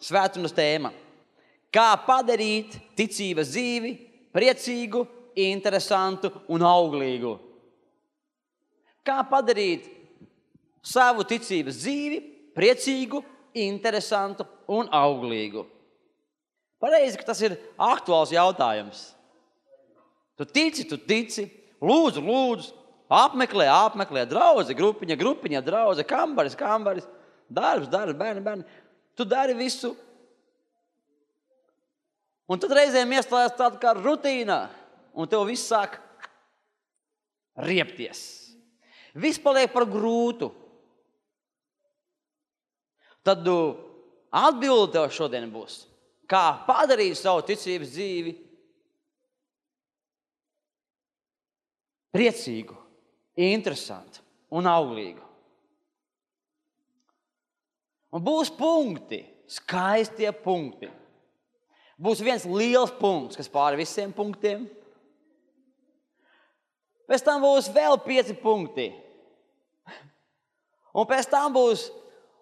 svētdienas tēma. Kā padarīt ticības dzīvi priecīgu, interesantu un auglīgu? Kā padarīt savu ticības dzīvi priecīgu, interesantu un auglīgu? Pareizi, ka tas ir aktuāls jautājums. Tu tici, lūdzu, apmeklē, draudze, grupiņa, draudze, kambaris, darbs, bērni. Tu dari visu. Un tad reizēm iestājas tāda kā rutīnā, un tev viss sāk riepties. Viss paliek par grūtu. Tad atbilde tev šodien būs, kā padarīt savu ticības dzīvi priecīgu, interesantu un auglīgu. Un būs punkti, skaistie punkti. Būs viens liels punkts, kas pāri visiem punktiem. Pēc tam būs vēl 5 punkti. Un pēc tam būs,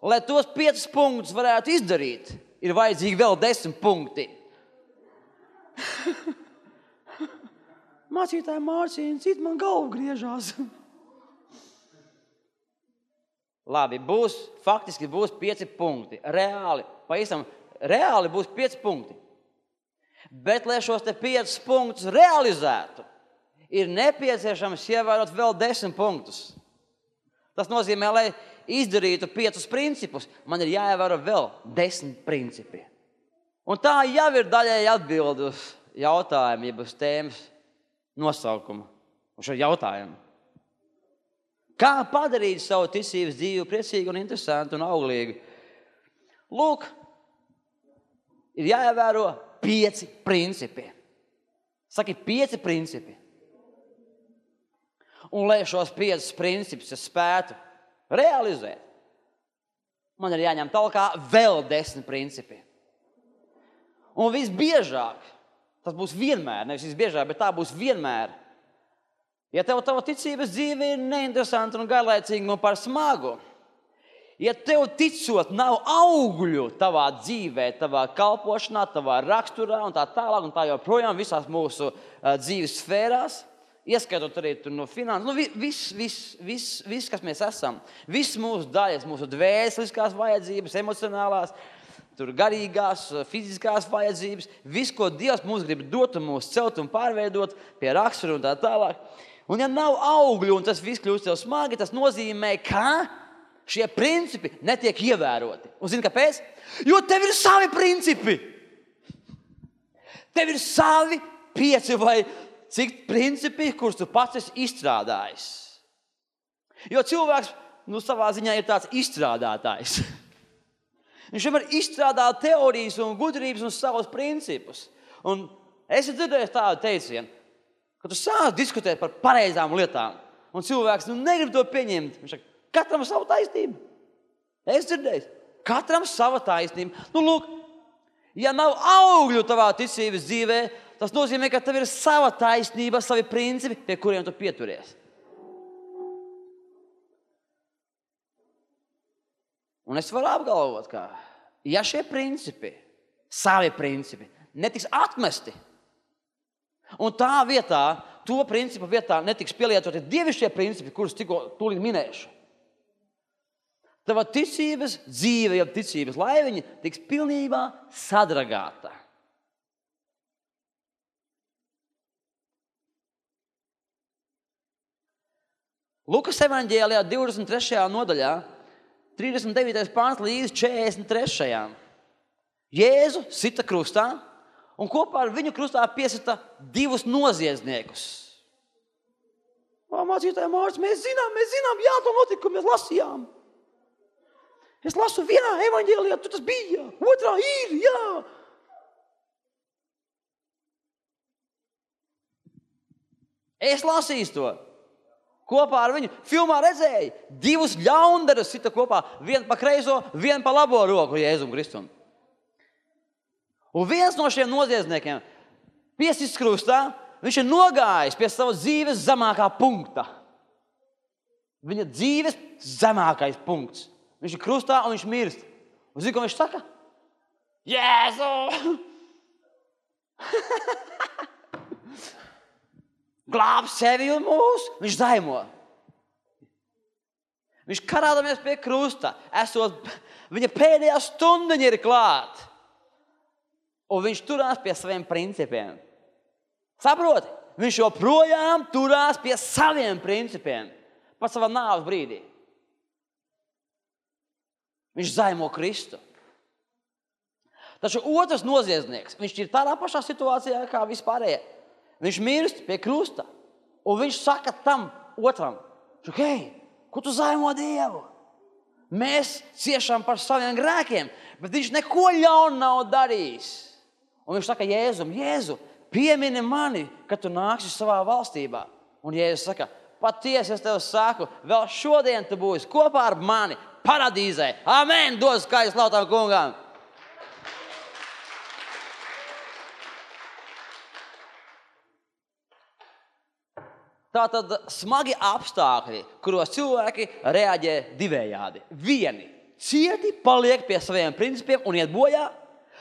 lai tos 5 punktus varētu izdarīt, ir vajadzīgi vēl 10 punkti. Mācītāja Mārciņa, cit man galva griežās. Labi, faktiski būs 5 punkti. Reāli būs 5 punkti. Bet, lai šos 5 punktus realizētu, ir nepieciešams ievērot vēl 10 punktus. Tas nozīmē, lai izdarītu 5 principus, man ir jāievēro vēl 10 principi. Un tā jau ir daļēji atbildi uz jautājumu, jeb uz tēmas nosaukumu, uz šo jautājumu. Kā padarīt savu ticības dzīvi priecīgu un interesantu un auglīgu? Lūk, ir jāievēro 5 principi. Saki, 5 principi. Un lai šos 5 principus es spētu realizēt, man ir jāņem talkā vēl 10 principi. Un visbiežāk, tas būs vienmēr, nevis visbiežāk, bet tā būs vienmēr. Ja tava ticības dzīve ir neinteresanta un garlaicīga un par smagu, ja tev ticot nav augļu tavā dzīvē, tavā kalpošanā, tavā raksturā un tā tālāk un tā joprojām visās mūsu dzīves sfērās, ieskaitot arī no finanses, viss, kas mēs esam, viss mūsu daļas, mūsu dvēseliskās vajadzības, emocionālās, garīgās, fiziskās vajadzības, viss, ko Dievs mums grib dot un mūs celt un pārveidot pie rakstura un tā tālāk. Un ja nav augļu un tas viss kļūst tev smagi, tas nozīmē, ka šie principi netiek ievēroti. Un zini, kāpēc? Jo tev ir savi principi. Tev ir savi 5 vai cik principi, kurus tu pats esi izstrādājis. Jo cilvēks, savā ziņā ir tāds izstrādātājs. Viņš vienmēr izstrādā teorijas un gudrības un savus principus. Un es dzirdēju tādu teicienu, ka tu sāc diskutēt par pareizām lietām. Un cilvēks negrib to pieņemt. Viņš saka, katram savu taisnību. Es dzirdēju, katram sava taisnība. Lūk, ja nav augļu tavā ticības dzīvē, tas nozīmē, ka tev ir sava taisnība, savi principi, pie kuriem tu pieturies. Un es varu apgalvot, ka ja šie principi, savi principi, netiks atmesti, un tā vietā, to principu vietā netiks pielietoti dievišķie principi, kurus tūlīt minēšu, tava ticības dzīve, ja ticības laiviņa tiks pilnībā sadragāta. Lukas evaņģēlijā 23. nodaļā, 39. pāns līdz 43. Jēzu sita krustā un kopā ar viņu krustā piesita 2 noziedzniekus. Mācītāja Mārcis, mēs zinām, jā, to notikumu mēs lasījām. Es lasu vienā evaņģēlijā, tur tas bija, otrā ir, jā. Es lasīju to. Kopā ar viņu filmā redzēja 2 ļaundarus sita kopā, vienu pa kreiso, vienu pa labo roku Jēzum Kristum. Un viens no šiem noziedzniekiem piesists krustā, viņš ir nogājis pie savas dzīves zemākā punkta. Viņa dzīves zemākais punkts. Viņš ir krustā un viņš mirst. Un zini, ko viņš saka? Jēzu! Glāb sevi un mūs. Viņš zaimo. Viņš karādamies pie krusta. Viņa pēdējā stundiņa ir klāt. Un viņš turās pie saviem principiem. Saproti? Viņš joprojām turās pie saviem principiem. Pat savā nāves brīdī. Viņš zaimo Kristu. Taču otrs noziedznieks, viņš ir tādā pašā situācijā kā vispārējie. Viņš mirst pie krusta. Un viņš saka tam otram, hei, ko tu zaimo Dievu? Mēs ciešam par saviem grēkiem, bet viņš neko ļaunu nav darījis. Un viņš saka Jēzu, piemini mani, kad tu nāksi savā valstībā. Un Jēzus saka, patiesi es tev saku, vēl šodien tu būsi kopā ar mani paradīzē. Amen, dod skaļu slavu tam kungam. Tātad smagi apstākļi, kuros cilvēki reaģē divējādi. Vieni cieti paliek pie saviem principiem un iet bojā,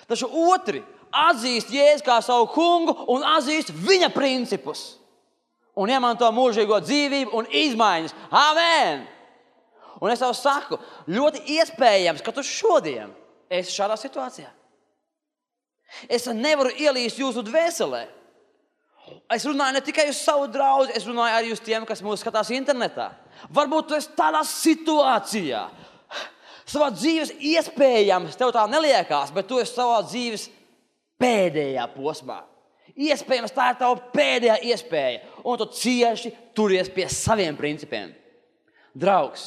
taču otri atzīst Jēzu kā savu kungu un atzīst viņa principus. Un iemanto mūžīgo dzīvību un izmaiņas. Amen! Un es tev saku, ļoti iespējams, ka tu šodien esi šādā situācijā. Es nevaru ielīst jūsu dvēselē. Es runāju ne tikai uz savu draugu, es runāju arī uz tiem, kas mūs skatās internetā. Varbūt tu esi tādā situācijā. Savā dzīves iespējams, tev tā neliekās, bet tu esi savā dzīves pēdējā posmā. Iespējams, tā ir tava pēdējā iespēja. Un tu cieši turies pie saviem principiem. Draugs,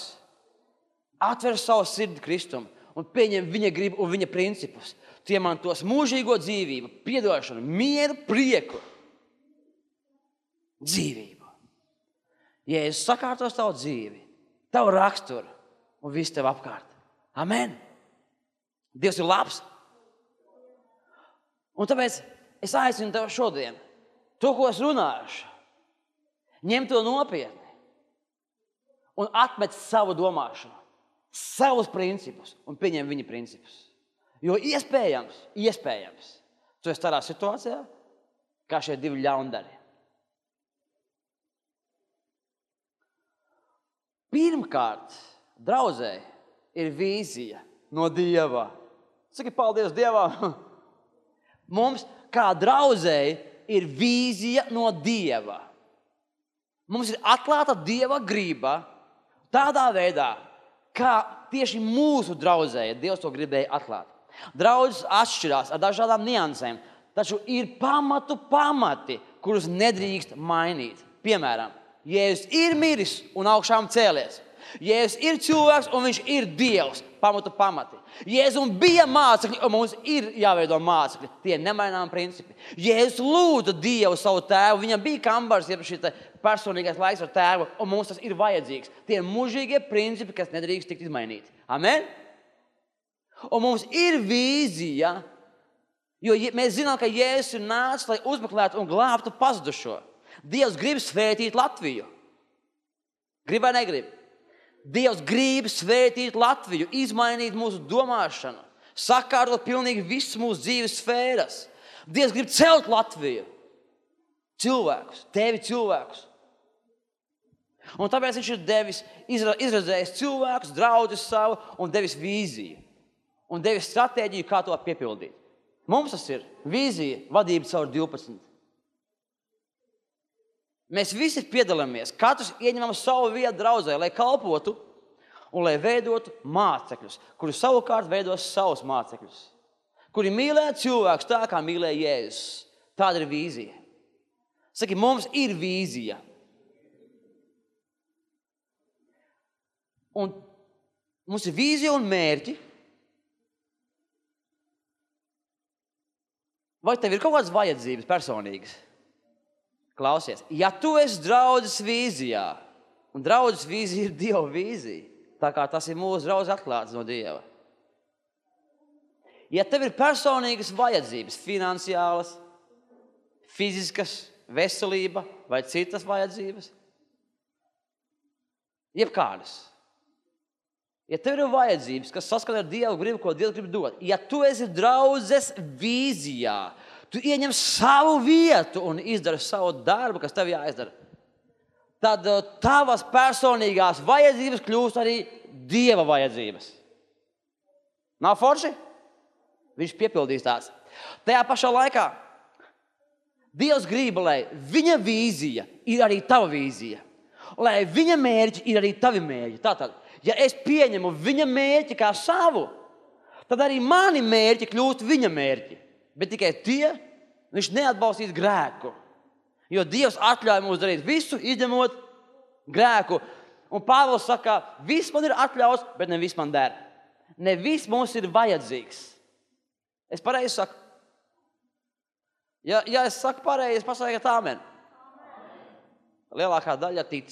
atver savu sirdi Kristum un pieņem viņa gribu un viņa principus. Tu iemantos mūžīgo dzīvību, piedošanu, mieru, prieku. Dzīvību. Jēzus sakārtos tavu dzīvi, tavu raksturu un visu tev apkārt. Amen. Dievs ir labs. Un tāpēc es aicinu tev šodien, to, ko es runāšu, ņem to nopietni un atmet savu domāšanu, savus principus un pieņem viņa principus. Jo iespējams, tu esi tādā situācijā, kā šie divi ļaundari. Pirmkārt, draudzē ir vīzija no Dieva. Saki paldies Dievam. Mums, kā draudzēji, ir vīzija no Dieva. Mums ir atklāta Dieva griba tādā veidā, kā tieši mūsu draudzēji Dievs to gribēja atklāt. Draudzes atšķirās ar dažādām niansēm, taču ir pamati, kurus nedrīkst mainīt. Piemēram, Jēzus ir miris un augšām cēlies. Jēzus ir cilvēks un viņš ir Dievs. Pamati. Jēzum bija mācekļi un mums ir jāveido mācekļi. Tie ir nemainām principi. Jēzus lūdza Dievu savu tēvu. Viņam bija kambars, jeb šī personīgais laiks ar tēvu, un mums tas ir vajadzīgs. Tie ir mūžīgie principi, kas nedrīkst tikt izmainīti. Amen? Un mums ir vīzija, jo mēs zinām, ka Jēzus ir nācis, lai uzmeklētu un glābtu pazudušo. Dievs grib svētīt Latviju. Grib vai negrib? Dievs grib svētīt Latviju, izmainīt mūsu domāšanu, sakārtot pilnīgi visas mūsu dzīves sfēras. Dievs grib celt Latviju. Cilvēkus, tevi cilvēkus. Un tāpēc viņš ir devis, izredzējis cilvēkus, draudzes savu un devis vīziju. Un devis stratēģiju, kā to piepildīt. Mums tas ir vīzija, vadība caur 12. Mēs visi piedalāmies, katrs ieņemam savu vietu draudzē, lai kalpotu un lai veidotu mācekļus, kuri savukārt veidos savus mācekļus, kuri mīlē cilvēkus tā, kā mīlē Jēzus. Tāda ir vīzija. Saki, mums ir vīzija. Un mums ir vīzija un mērķi. Vai tev ir kaut kādas vajadzības personīgas? Klausies, ja tu esi draudzes vīzijā, un draudzes vīzija ir Dieva vīzija, tā kā tas ir mūsu draudzes atklāts no Dieva. Ja tev ir personīgas vajadzības, finansiālas, fiziskas, veselība vai citas vajadzības, jebkādas, Ja tev ir vajadzības, kas saskan ar Dievu gribu, ko Dievs grib dot, ja tu esi draudzes vīzijā, tu ieņem savu vietu un izdari savu darbu, kas tev jāizdara, tad tavas personīgās vajadzības kļūst arī Dieva vajadzības. Nav forši? Viņš piepildīs tās. Tajā pašā laikā Dievs grib, lai viņa vīzija ir arī tava vīzija. Lai viņa mērķi ir arī tavi mērķi. Tātad, ja es pieņemu viņa mērķi kā savu, tad arī mani mērķi kļūst viņa mērķi. Bet tikai tie, viņš neatbalstīs grēku. Jo Dievs atļauj mums darīt visu, izņemot grēku. Un Pāvils saka, viss man ir atļauts, bet ne viss man der. Ne viss mums ir vajadzīgs. Es pareizi saku. Ja es saku pareizi, pasakiet āmen. Lielākā daļa tic.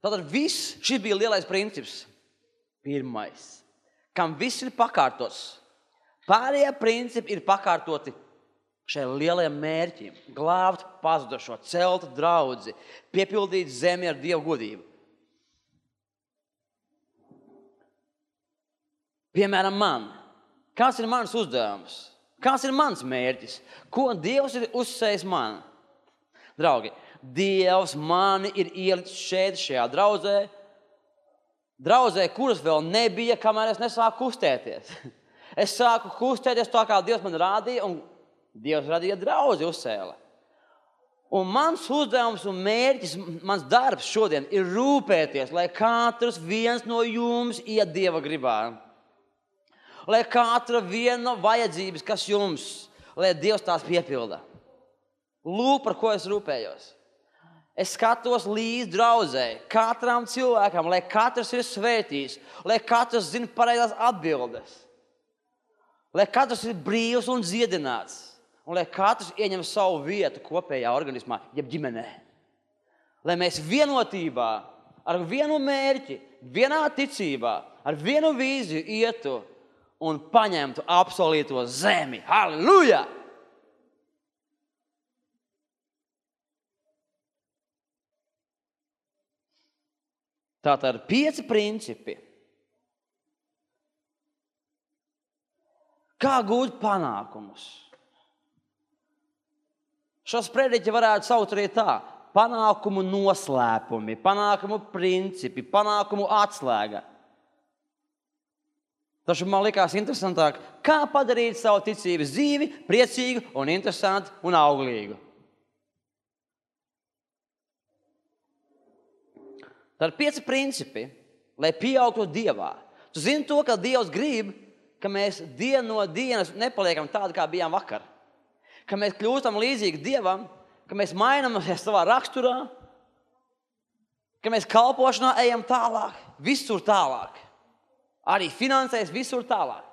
Tātad viss, šis bija lielais princips. Pirmais, kam viss ir pakārtots. Pārējie principi ir pakārtoti šai lielajiem mērķiem. Glābt pazudušo, celt draudzi, piepildīt zemi ar Dievu godību. Piemēram, man. Kāds ir mans uzdevums? Kāds ir mans mērķis? Ko Dievs ir uzsējis man? Draugi, Dievs mani ir ielicis šajā draudzē, kuras vēl nebija, kamēr es nesāku kustēties. Es sāku kustēties tā, kā Dievs man rādīja, un Dievs radīja draudzi uzsēla. Un mans uzdevums un mērķis, mans darbs šodien ir rūpēties, lai katrs viens no jums iet Dieva gribā. Lai katra viena vajadzības, kas jums, lai Dievs tās piepilda. Lūk, par ko es rūpējos. Es skatos līdz draudzē, katram cilvēkam, lai katrs ir svētīts, lai katrs zina pareizās atbildes, lai katrs ir brīvs un dziedināts, un lai katrs ieņem savu vietu kopējā organismā, jeb ģimenē. Lai mēs vienotībā, ar vienu mērķi, vienā ticībā, ar vienu vīziju ietu un paņemtu apsolīto zemi. Halleluja! Tātad 5 principi. Kā gūt panākumus? Šos prediķi varētu saukt arī tā. Panākumu noslēpumi, panākumu principi, panākumu atslēga. Taču man likās interesantāk, kā padarīt savu ticības dzīvi priecīgu un interesantu un auglīgu. Tad 5 principi, lai pieaugtu Dievā. Tu zini to, ka Dievs grib, ka mēs dienu no dienas nepaliekam tādi, kā bijām vakar. Ka mēs kļūstam līdzīgi Dievam, ka mēs mainamies savā raksturā, ka mēs kalpošanā ejam tālāk, visur tālāk. Arī finansēs visur tālāk.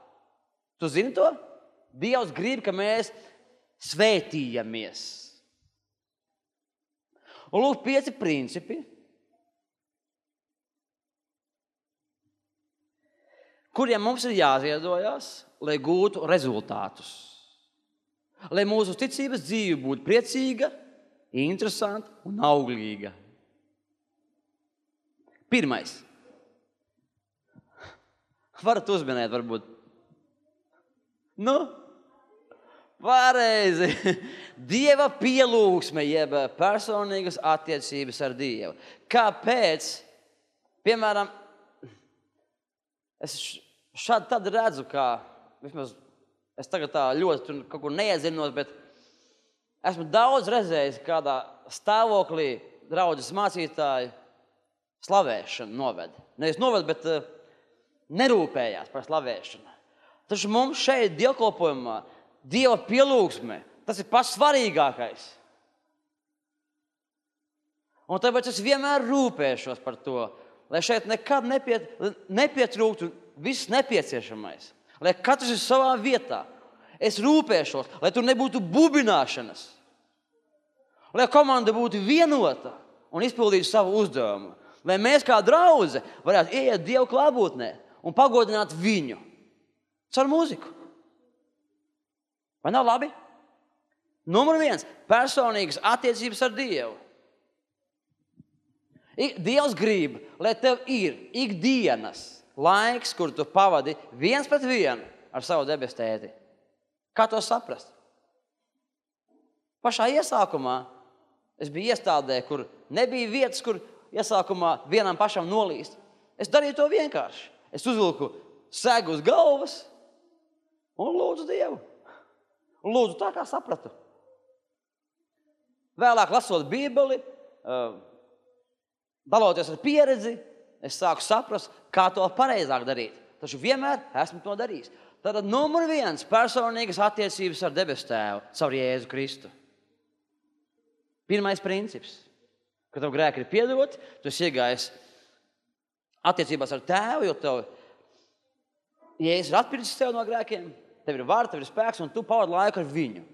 Tu zini to? Dievs grib, ka mēs svētījamies. Un lūk, 5 principi, kuriem mums ir jāziedojas, lai gūtu rezultātus. Lai mūsu ticības dzīve būtu priecīga, interesanta un auglīga. Pirmais. Varat uzminēt, varbūt. Pareizi. Dieva pielūgsme, jeb personīgas attiecības ar Dievu. Kāpēc? Piemēram, es šādi tad redzu, kā, vismaz es tagad tā ļoti kaut kur neiedzinos, bet esmu daudz redzējis, kādā stāvoklī draudzes mācītāji slavēšanu noved. Nevis noved, bet nerūpējās par slavēšanu. Taču mums šeit dievkalpojumā Dieva pielūgsme, tas ir pats svarīgākais. Un tāpēc es vienmēr rūpēšos par to, lai šeit nekad nepietrūktu viss nepieciešamais. Lai katrs ir savā vietā. Es rūpēšos, lai tur nebūtu bubināšanas. Lai komanda būtu vienota un izpildītu savu uzdevumu. Lai mēs kā draudze varētu ieiet Dievu klātbūtnē un pagodināt viņu caur mūziku. Vai nav labi? Numur 1. Personīgas attiecības ar Dievu. Dievs grib, lai tev ir ikdienas laiks, kur tu pavadi 1-1 ar savu debesu tēti. Kā to saprast? Pašā iesākumā es biju iestādē, kur nebija vietas, kur iesākumā vienam pašam nolīst. Es darīju to vienkārši. Es uzvilku segu uz galvas un lūdzu Dievu. Lūdzu tā, kā sapratu. Vēlāk lasot Bībeli, daloties ar pieredzi, es sāku saprast, kā to pareizāk darīt. Taču vienmēr esmu to darījis. Tātad numur 1 personīgas attiecības ar debesu Tēvu caur Jēzu Kristu. Pirmais princips. Kad tev grēki ir piedoti, tu esi iegājis attiecībās ar Tēvu, jo tev Jēzus ir atpircis tev no grēkiem, tev ir vara, tev ir spēks, un tu pavadi laiku ar viņu.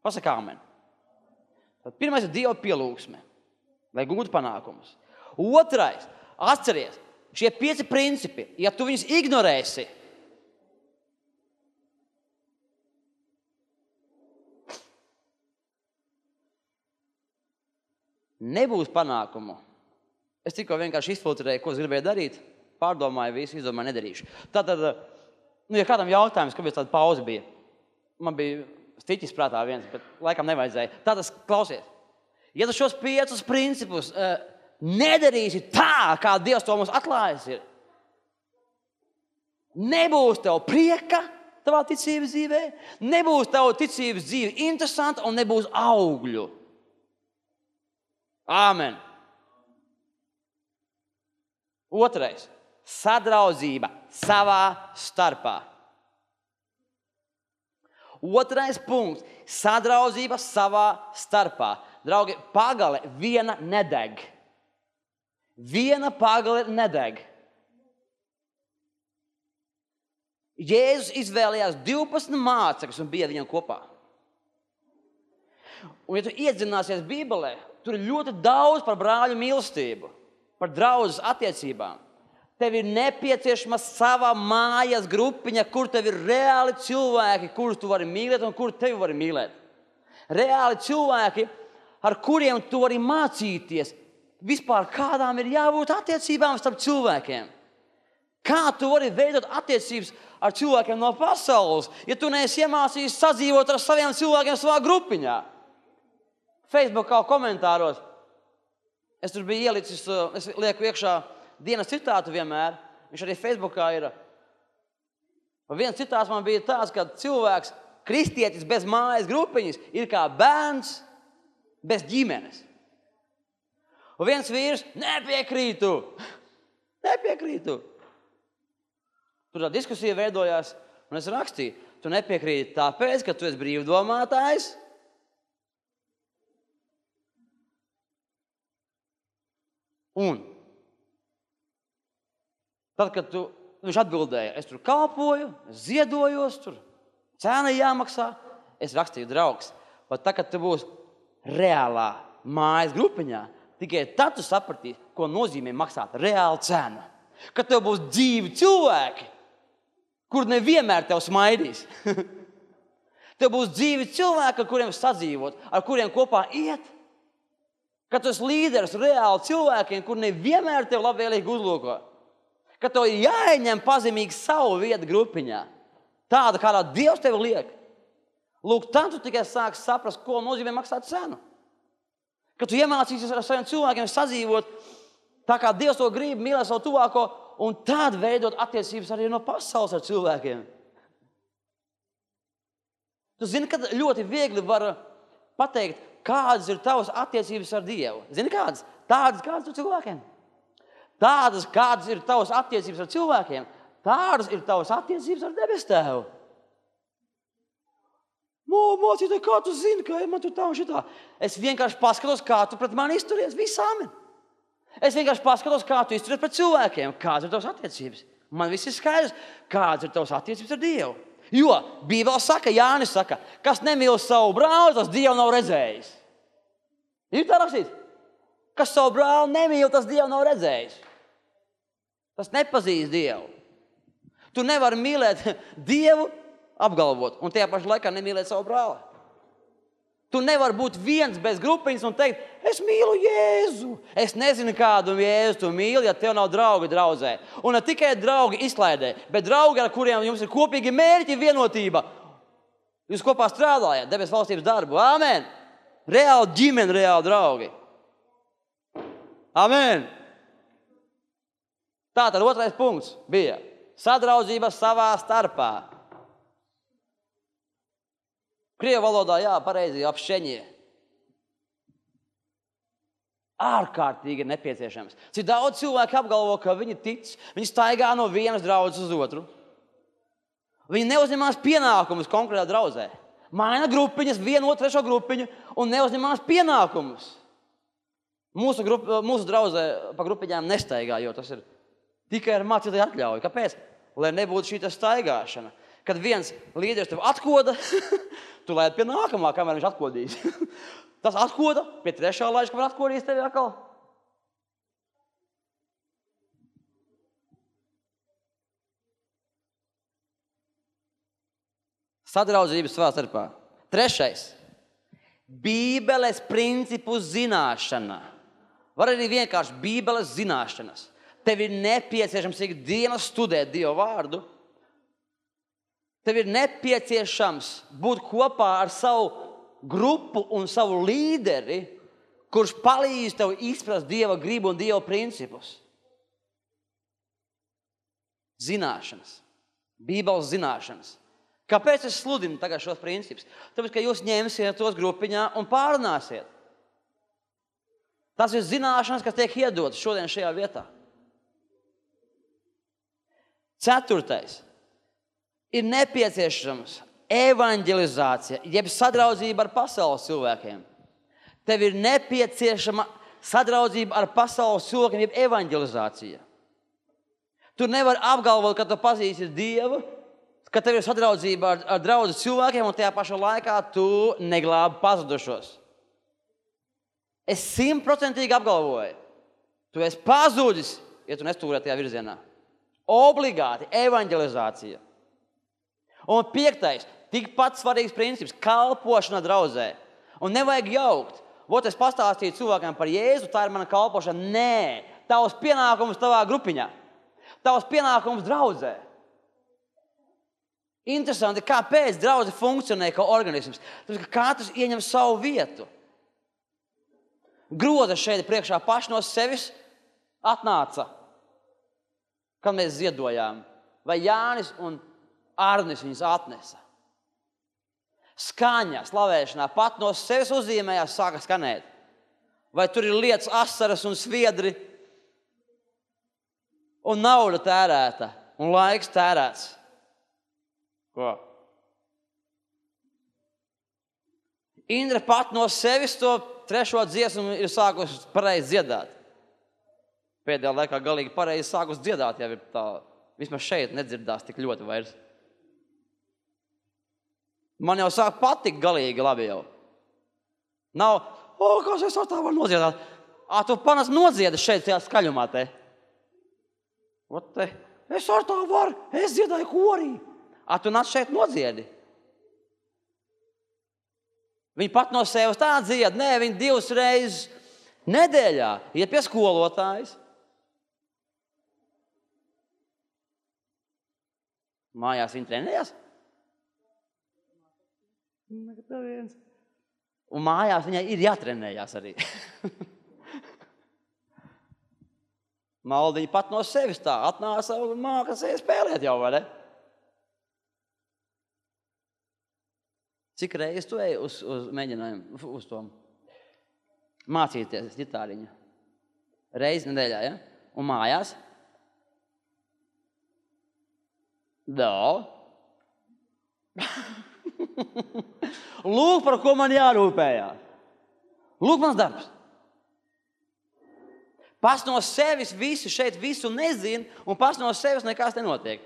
Pasaka amen. Tad pirmais ir Dieva pielūgsme, lai gūtu panākumus. Otrais, atceries, šie 5 principi, ja tu viņus ignorēsi, nebūs panākumu. Es tikko vienkārši izfiltrēju, ko es gribēju darīt, pārdomāju visu, izdomāju, nedarīšu. Tātad, ja kādam jautājums, kāpēc tāda pauze bija, man bija stiķis prātā viens, bet laikam nevajadzēja. Tātad, klausies, ja tu šos 5 principus nedarīsi tā, kā Dievs to mums atklājis ir, nebūs tev prieka tavā ticības dzīvē, nebūs tev ticības dzīve interesanta un nebūs augļu. Āmen. Otrais, sadraudzība savā starpā. Otrais punkts, sadraudzība savā starpā. Draugi, pagale viena nedeg. Viena pagale nedeg. Jēzus izvēlējās 12 mācekļus un bija viņam kopā. Un ja tu iedzināsies Bībelē, tur ir ļoti daudz par brāļu mīlestību, par draudzes attiecībām. Tev ir nepieciešama sava mājas grupiņa, kur tev ir reāli cilvēki, kurus tu vari mīlēt un kur tevi vari mīlēt. Reāli cilvēki, ar kuriem tu vari mācīties, vispār kādām ir jābūt attiecībām starp cilvēkiem. Kā tu vari veidot attiecības ar cilvēkiem no pasaules, ja tu neesi iemācījis sadzīvot ar saviem cilvēkiem savā grupiņā? Facebookā komentāros es tur biju ielicis, es lieku iekšā dienas citātu vienmēr. Viņš arī Facebookā ir. Viens citāts man bija tāds, ka cilvēks, kristietis bez mājas grupiņas, ir kā bērns bez ģimenes. Un viens vīrs, nepiekrītu. Tur tā diskusija veidojās, un es rakstīju, tu nepiekrīti tāpēc, ka tu esi brīvdomātājs. Un tad, kad viņš atbildēja, es tur kalpoju, es ziedojos, tur cena jāmaksā, es rakstīju, draugs, bet tā, kad tu būsi reālā mājas grupiņā, tikai tad tu sapratīsi, ko nozīmē maksāt reālu cenu. Kad tev būs dzīvi cilvēki, kur nevienmēr tev smaidīs. Tev būs dzīvi cilvēki, ar kuriem sadzīvot, ar kuriem kopā iet. Kad tu esi līderis reāli cilvēkiem, kur nevienmēr tev labvēlīgi uzlūko. Kad tev ir jāieņem pazemīgi savu vietu grupiņā. Tāda, kādā Dievs tevi liek. Lūk, tad tu tikai sāksi saprast, ko nozīmē maksāt cenu. Kad tu iemācīsies ar saviem cilvēkiem sadzīvot, tā kā Dievs to grib, mīlēt savu tuvāko, un tad veidot attiecības arī no pasaules ar cilvēkiem. Tu zini, kad ļoti viegli var pateikt, kādas ir tavas attiecības ar Dievu. Zini, kādas? Tādas, kādas ar cilvēkiem. Tādas, kādas ir tavas attiecības ar cilvēkiem, tādas ir tavas attiecības ar debesu Tēvu. Mācītāji, kā tu zini, ka man tur tā un šitā? Es vienkārši paskatos, kā tu pret mani izturies. Viss amen. Es vienkārši paskatos, kā tu izturies pret cilvēkiem. Kādas ir tavas attiecības? Man viss ir skaidrs, kādas ir tavas attiecības ar Dievu. Jo Bībele saka, Jānis saka, kas nemīl savu brāli, tas Dievu nav redzējis. Ir tā rakstīts? Kas savu brāli nemīl, tas Dievu nav redzējis. Tas nepazīst Dievu. Tu nevari mīlēt Dievu, apgalvot, un tajā pašā laikā nemīlēt savu brāli. Tu nevari būt viens bez grupiņas un teikt, es mīlu Jēzu. Es nezinu, kādu Jēzu tu mīli, ja tev nav draugi draudzē. Un ne tikai draugi izklaidē, bet draugi, ar kuriem jums ir kopīgi mērķi, vienotība. Jūs kopā strādājat, debes valstības darbu. Āmen! Reāli ģimene, reāli draugi. Āmen! Tātad otrais punkts bija sadraudzība savā starpā. Krievu valodā, jā, pareizi, apšķeņie. Ārkārtīgi ir nepieciešams. Cik daudz cilvēku apgalvo, ka viņi tic, viņi staigā no vienas draudzes uz otru. Viņi neuzņemās pienākumus konkrētā draudzē. Maina grupiņas, vienu otru trešo grupiņu un neuzņemās pienākumus. Mūsu draudzē pa grupiņām nestaigā, jo tas ir tikai ar mācītāju atļauju. Kāpēc? Lai nebūtu šī staigāšana. Kad viens līderis tev atkoda, tu laid pie nākamā, kamēr viņš atkodīs. Tas atkoda, pie trešā laiž, kamēr atkodīs tevi atkal. Sadraudzības savā starpā. Trešais. Bībeles principu zināšana. Var arī vienkārši Bībeles zināšanas. Tev ir nepieciešams ikdienas studēt Dievu vārdu. Tev ir nepieciešams būt kopā ar savu grupu un savu līderi, kurš palīdz tev izprast Dieva gribu un Dieva principus. Zināšanas. Bībeles zināšanas. Kāpēc es sludinu tagad šos principus? Tāpēc, ka jūs ņemsiet tos grupiņā un pārunāsiet. Tas ir zināšanas, kas tiek iedotas šodien šajā vietā. Ceturtais. Ir nepieciešams evanģelizācija, jeb sadraudzība ar pasaules cilvēkiem. Tev ir nepieciešama sadraudzība ar pasaules cilvēkiem, jeb evanģelizācija. Tu nevari apgalvot, ka tu pazīsti Dievu, ka tev ir sadraudzība ar draudzes cilvēkiem un tajā pašā laikā tu neglābi pazudušos. Es 100% apgalvoju, tu esi pazudis, ja tu nestūrē tajā virzienā. Obligāti evanģelizācija. Un 5. tikpat svarīgs princips – kalpošana draudzē. Un nevajag jaukt. Vot es pastāstīju cilvēkiem par Jēzu, tā ir mana kalpošana. Nē, tavs pienākums tavā grupiņā. Tavs pienākums draudzē. Interesanti, kāpēc draudze funkcionē kā organisms. Tāpēc, ka katrs ieņem savu vietu. Groza šeit priekšā paši no sevis atnāca, kad mēs ziedojām. Vai Jānis un Arnis viņus atnesa. Skaņa, slavēšanā pat no sevis uzzīmējās, sāka skanēt. Vai tur ir lietas, asaras un sviedri, un nauda tērēta, un laiks tērēts. Ko? Indra pat no sevis to trešo dziesmu ir sākusi pareizi dziedāt. Pēdējā laikā galīgi pareizi sākusi dziedāt, jau ir tā, vismaz šeit nedzirdās tik ļoti vairs. Man jau sāk patikt galīgi labi jau. Nav, kas es ar tā varu nodziedāt? Tu panas nodziedi šeit tajā skaļumā te. Es ar tā varu, es dziedāju korī. Tu nāc šeit nodziedi. Viņi pat no sevis tā dzied. Nē, viņi 2 reizes nedēļā iet pie skolotājas. Mājās viņi trenējās. Un mājās viņai ir jātrenējās arī. Maldiņa pat no sevis tā atnāca un māka spēlēt jau, vai ne? Cik reizes tu ej uz mēģinājumu, uz to mācīties ģitāriņu? Reizi nedēļā, ja? Un mājās? Lūk, par ko man jārūpējās. Lūk, mans darbs. Pats no sevis visu nezin, un pats no sevis nekas nenotiek.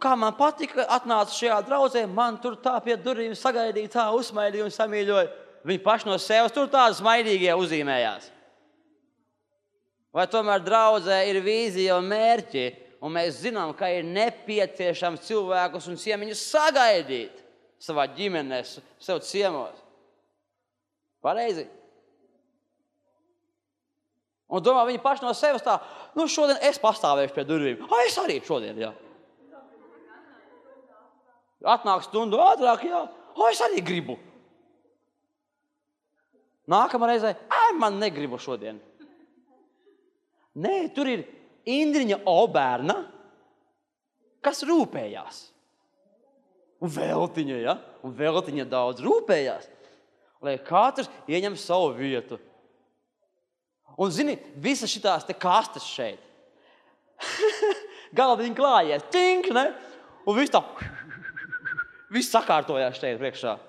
Kā man patika, atnāca šajā draudzē, man tur tā pie durvīm sagaidīja, tā uzsmaidīja un samīļoja. Viņi paši no sevis tur tādi smaidīgie uzzīmējās. Vai tomēr draudzē ir vīzija un mērķi, un mēs zinām, ka ir nepieciešams cilvēkus un ciemiņus sagaidīt savā ģimenē, sev ciemos. Pareizi. Un domā, viņi paši no sevis tā, šodien es pastāvēšu pie durvīm. Es arī šodien, jā. Atnāk stundu ātrāk, jā. Es arī gribu. Nākamā reizē, man negribu šodien. Nē, tur ir Indriņa Obērna, kas rūpējās. Un Veltiņa, ja? Un Veltiņa daudz rūpējās, lai katrs ieņem savu vietu. Un, zini, visas šitās te kastes šeit. Galdiņi klājies, tink, ne? Un viss tā, viss sakārtojās šeit priekšā.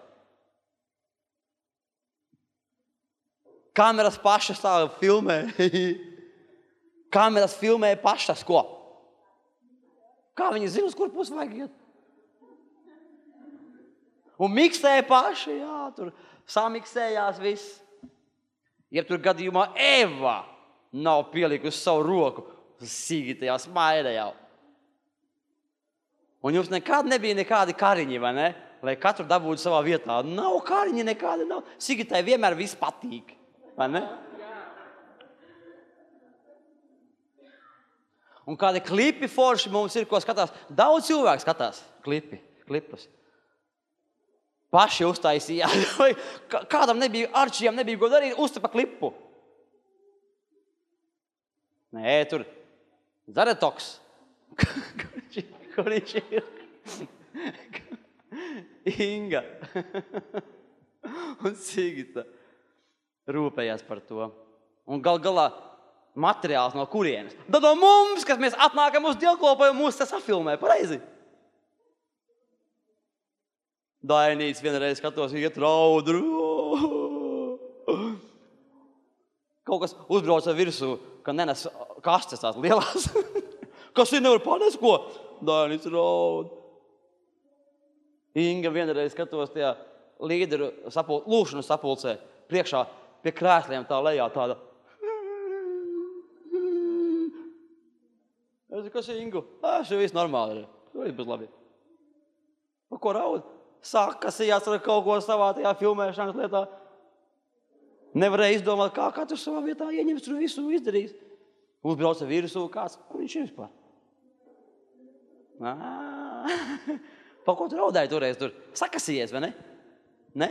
Kameras pašas tā filmē. Kameras filmē pašas, ko? Kā viņi zina, uz kur pusi vajag iet? Un miksē paši, jā, tur samiksējās viss. Ja tur gadījumā Eva nav pielikusi savu roku, sīgitajā smaida jau. Un jums nekad nebija nekādi kariņi, vai ne? Lai katru dabūtu savā vietā. Nav kariņi nekādi, nav. Sigitai vienmēr viss patīk, vai ne? Un kādi klipi forši mums ir, ko skatās. Daudz cilvēku skatās klipus. Paši uztaisīja. Kādam nebija, Arčijam nebija ko darīt, uztapa klipu. Nē, tur Zaretoks. Kur viņš ir? Inga. Un Sigita rūpējās par to. Un galā materiāls no kurienes. Tad no mums, kas mēs atnākam uz dievkalpojumu, mūs tas safilmē, pareizi. Dainīts vienreiz skatos, iet raudru. Kaut kas uzbrauca virsū, ka nenes kastes tās lielās. Kas ir nevar panest, ko? Dainīts raud. Inga vienreiz skatos tajā līderu lūkšanu sapulcē, priekšā pie krēsliem tā lejā tāda. Es kas ir Ingu? Šeit viss normāli ir. Viss būs labi. Pa ko raud? Sākasījās ar kaut ko savā tajā filmēšanas lietā. Nevarēja izdomāt, kā katrs savā vietā ieņems tur visu izdarīs. Uzbrauca virsū kāds. Kur viņš ir vispār? Pa ko tu raudāji toreiz tur? Sakasījies, vai ne? Ne?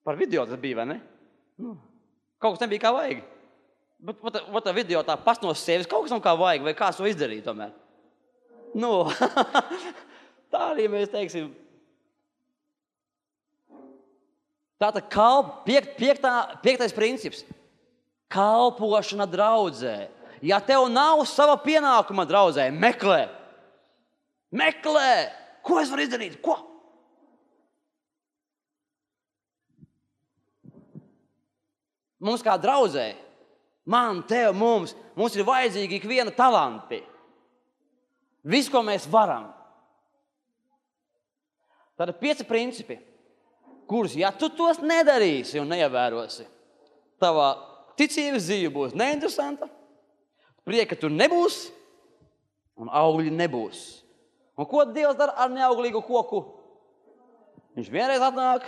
Par video tas bija, vai ne? Kaut kas nebija kā vajag. Bet tā video tā pats no sevis kaut kas nav kā vajag, vai kāds to izdarīja tomēr. Tā arī mēs teiksim. Tātad piektais princips. Kalpošana draudzē. Ja tev nav sava pienākuma draudzē, meklē. Meklē! Ko es varu izdarīt? Ko? Mums kā draudzē, man, tev, mums ir vajadzīgi ikviena talanti. Viss, ko mēs varam. Tātad 5 principi, kurus, ja tu tos nedarīsi un neievērosi, tavā ticības dzīve būs neinteresanta, prieka tur nebūs un augļi nebūs. Un ko Dievs dara ar neauglīgu koku? Viņš vienreiz atnāk,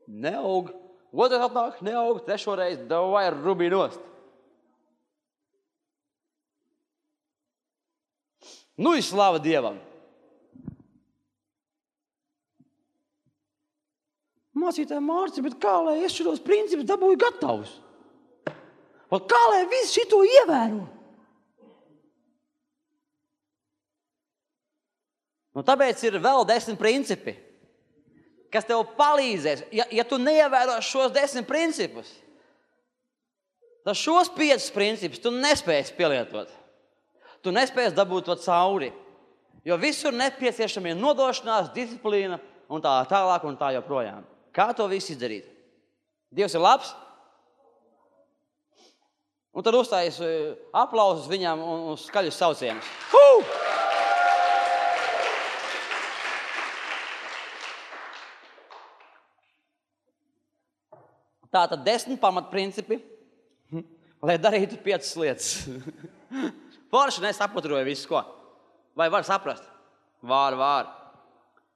neaug. Otrais atnāk, neaug, trešoreiz, davai rubī nost. Ir slava Dievam. Mācītāji Mārci, bet kā lai es šitos principus dabūju gatavus? Kā lai visu šito ievēro? Tāpēc ir vēl 10 principi, kas tev palīdzēs. Ja tu neievēro šos 10 principus, tad šos 5 principus tu nespēsi pielietot. Tu nespēsi dabūt to cauri. Jo visur nepieciešami nodošanās, disciplīna un tā tālāk un tā joprojām. Kā to visu izdarīt? Dievs ir labs. Un tad uzstājas aplausus viņam un skaļus saucienus. Tātad 10 pamatprincipi, lai darītu 5 lietas. Forši nesaprotoju visu, ko? Vai var saprast? Var.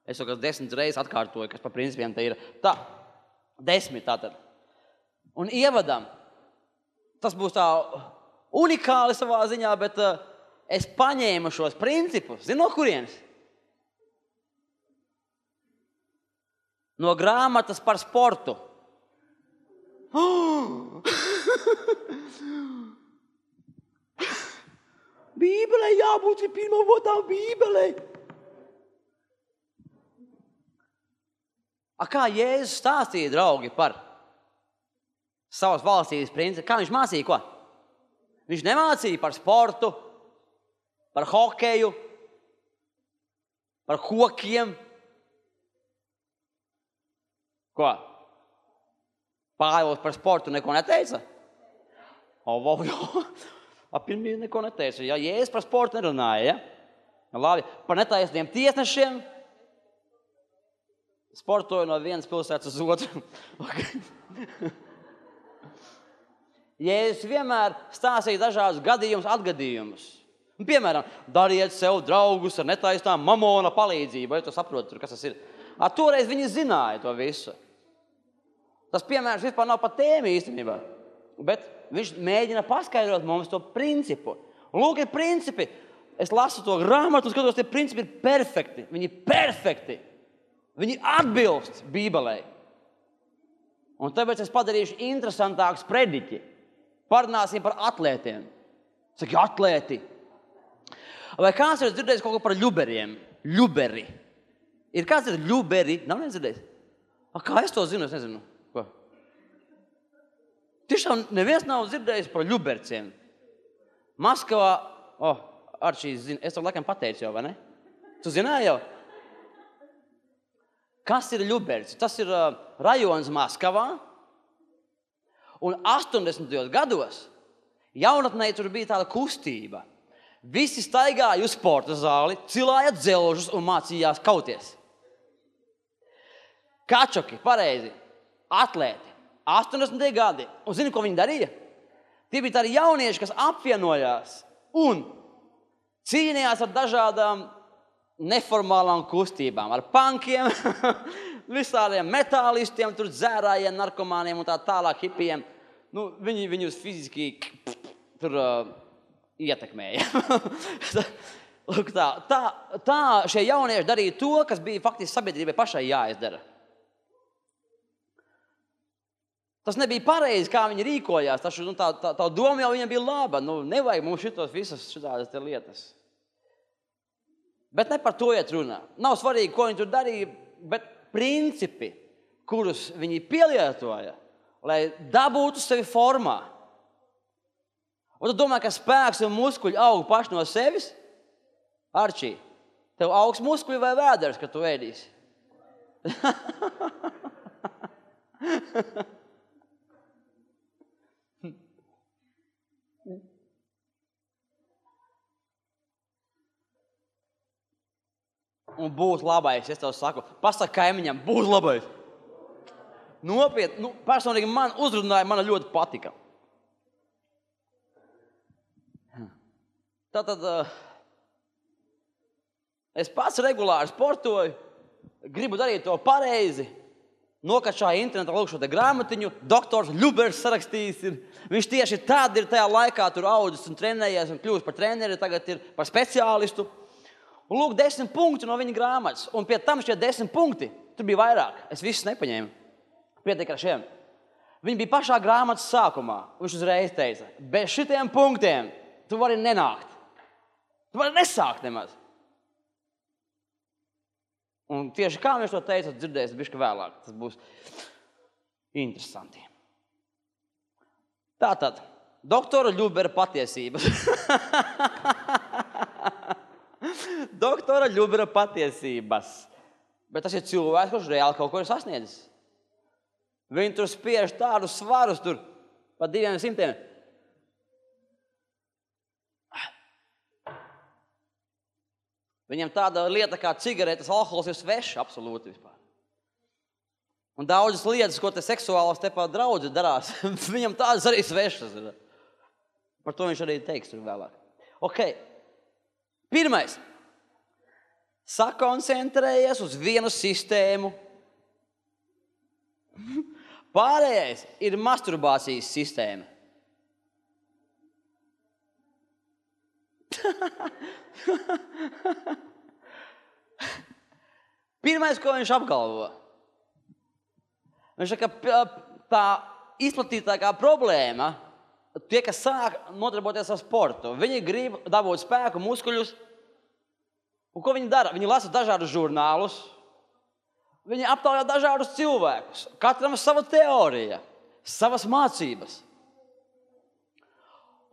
Es jau 10 reizes atkārtoju, kas par principiem te ir. Tā, 10 tātad. Un ievadam, tas būs tā unikāli savā ziņā, bet es paņēmu šos principus. Zini, no kurienes? No grāmatas par sportu. Bībelē jābūt pirmā votā Bībelē. Kā Jēzus stāstīja, draugi, par savas valstības principu? Kā viņš mācīja, ko? Viņš nemācīja par sportu, par hokeju, par kokiem. Ko? Pāvils par sportu neko neteica? Pirmie neko neteica. Ja Jēzus par sportu nerunāja, ja? Labi. Par netaisniem tiesnešiem sportoju no vienas pilsētas uz otru. Jēzus vienmēr stāstīja dažādus gadījumus, atgadījumus. Piemēram, dariet sev draugus ar netaisnām mamona palīdzību. Vai tu saproti, kas tas ir? Toreiz viņi zināja to visu. Tas piemērs vispār nav pa tēmu īstenībā. Bet viņš mēģina paskaidrot mums to principu. Lūk, ir principi. Es lasu to grāmatu un skatos, tie principi ir perfekti. Viņi ir perfekti. Viņi atbilst Bībelē. Un tāpēc es padarīšu interesantākus prediķi. Parunāsim par atlētiem. Saki, atlēti. Vai kāds ir dzirdējis kaut ko par ļuberiem? Ļuberi. Ir kāds ir ļuberi? Nav nedzirdējis? Kā es to zinu? Es nezinu. Ko? Tiešām neviens nav dzirdējis par ļuberciem. Maskavā, Arčīs zina, es to laikam pateicu jau, vai ne? Tu zināji jau? Kas ir ļuberci? Tas ir rajons Maskavā. Un 80. gados jaunatnē tur bija tāda kustība. Visi staigāja uz sporta zāli, cilāja dzelžus un mācījās kauties. Kačoki, pareizi, atlēti, 80. gadi. Un zini, ko viņi darīja? Tie bija tādi jaunieši, kas apvienojās un cīnījās ar dažādām neformālām kustībām, ar punkiem, visādiem metālistiem, tur dzērājiem, narkomāniem un tā tālāk hipijiem. Viņi viņus fiziski tur ietekmēja. Lūk, tā šie jaunieši darīja to, kas bija faktiski sabiedrībai pašai jāizdara. Tas nebija pareizi, kā viņi rīkojās. Tā doma jau viņam bija laba. Nevajag mums šitos visas šitādas te lietas. Bet ne par to iet runā. Nav svarīgi, ko viņi tur darīja, bet principi, kurus viņi pielietoja, lai dabūtu sevi formā. Un tu domā, ka spēks un muskuļi aug paši no sevis? Arčī, tev augs muskuļi vai vēders, kad tu ēdīsi? Un būs labais, es tev saku. Pasaka kaimiņam, būs labais. Nopietni, personīgi man uzrunāja, man ļoti patika. Tātad es pats regulāri sportoju, gribu darīt to pareizi. Nokačāju internetā lūk šo te grāmatiņu, doktors Ļubers sarakstījis ir. Viņš tieši tad ir tajā laikā tur audzis un trenējies un kļūst par treneri, tagad ir par speciālistu. Un lūk, 10 punkti no viņa grāmatas. Un pie tam šie 10 punkti, tur bija vairāk. Es visus nepaņēmu. Pietiek ar šiem. Viņi bija pašā grāmatas sākumā. Viņš uzreiz teica, bez šitiem punktiem tu vari nenākt. Tu vari nesākt nemaz. Un tieši kā viņš to teica, dzirdēs bišķi vēlāk. Tas būs interesanti. Tātad, doktora Ļubera patiesības. Doktora Ļubera patiesības. Bet tas ir cilvēks, kurš reāli kaut ko ir sasniedzis. Viņi tur spiež tādus svarus tur pa 200. Viņam tāda lieta kā cigaretes, alkohols ir svešs absolūti vispār. Un daudzas lietas, ko te seksuālas te pa draudzi darās, viņam tādas arī svešas ir. Par to viņš arī teiks tur vēlāk. Ok. Pirmais. Sakoncentrējies uz vienu sistēmu. Pārējais ir masturbācijas sistēma. Pirmais, ko viņš apgalvo, viņš saka, ka tā izplatītākā problēma, tie, kas sāk nodarboties ar sportu, viņi grib dabūt spēku, muskuļus, un ko viņi dara? Viņi lasa dažādus žurnālus, viņi aptaujā dažādus cilvēkus, katram sava teorija, savas mācības.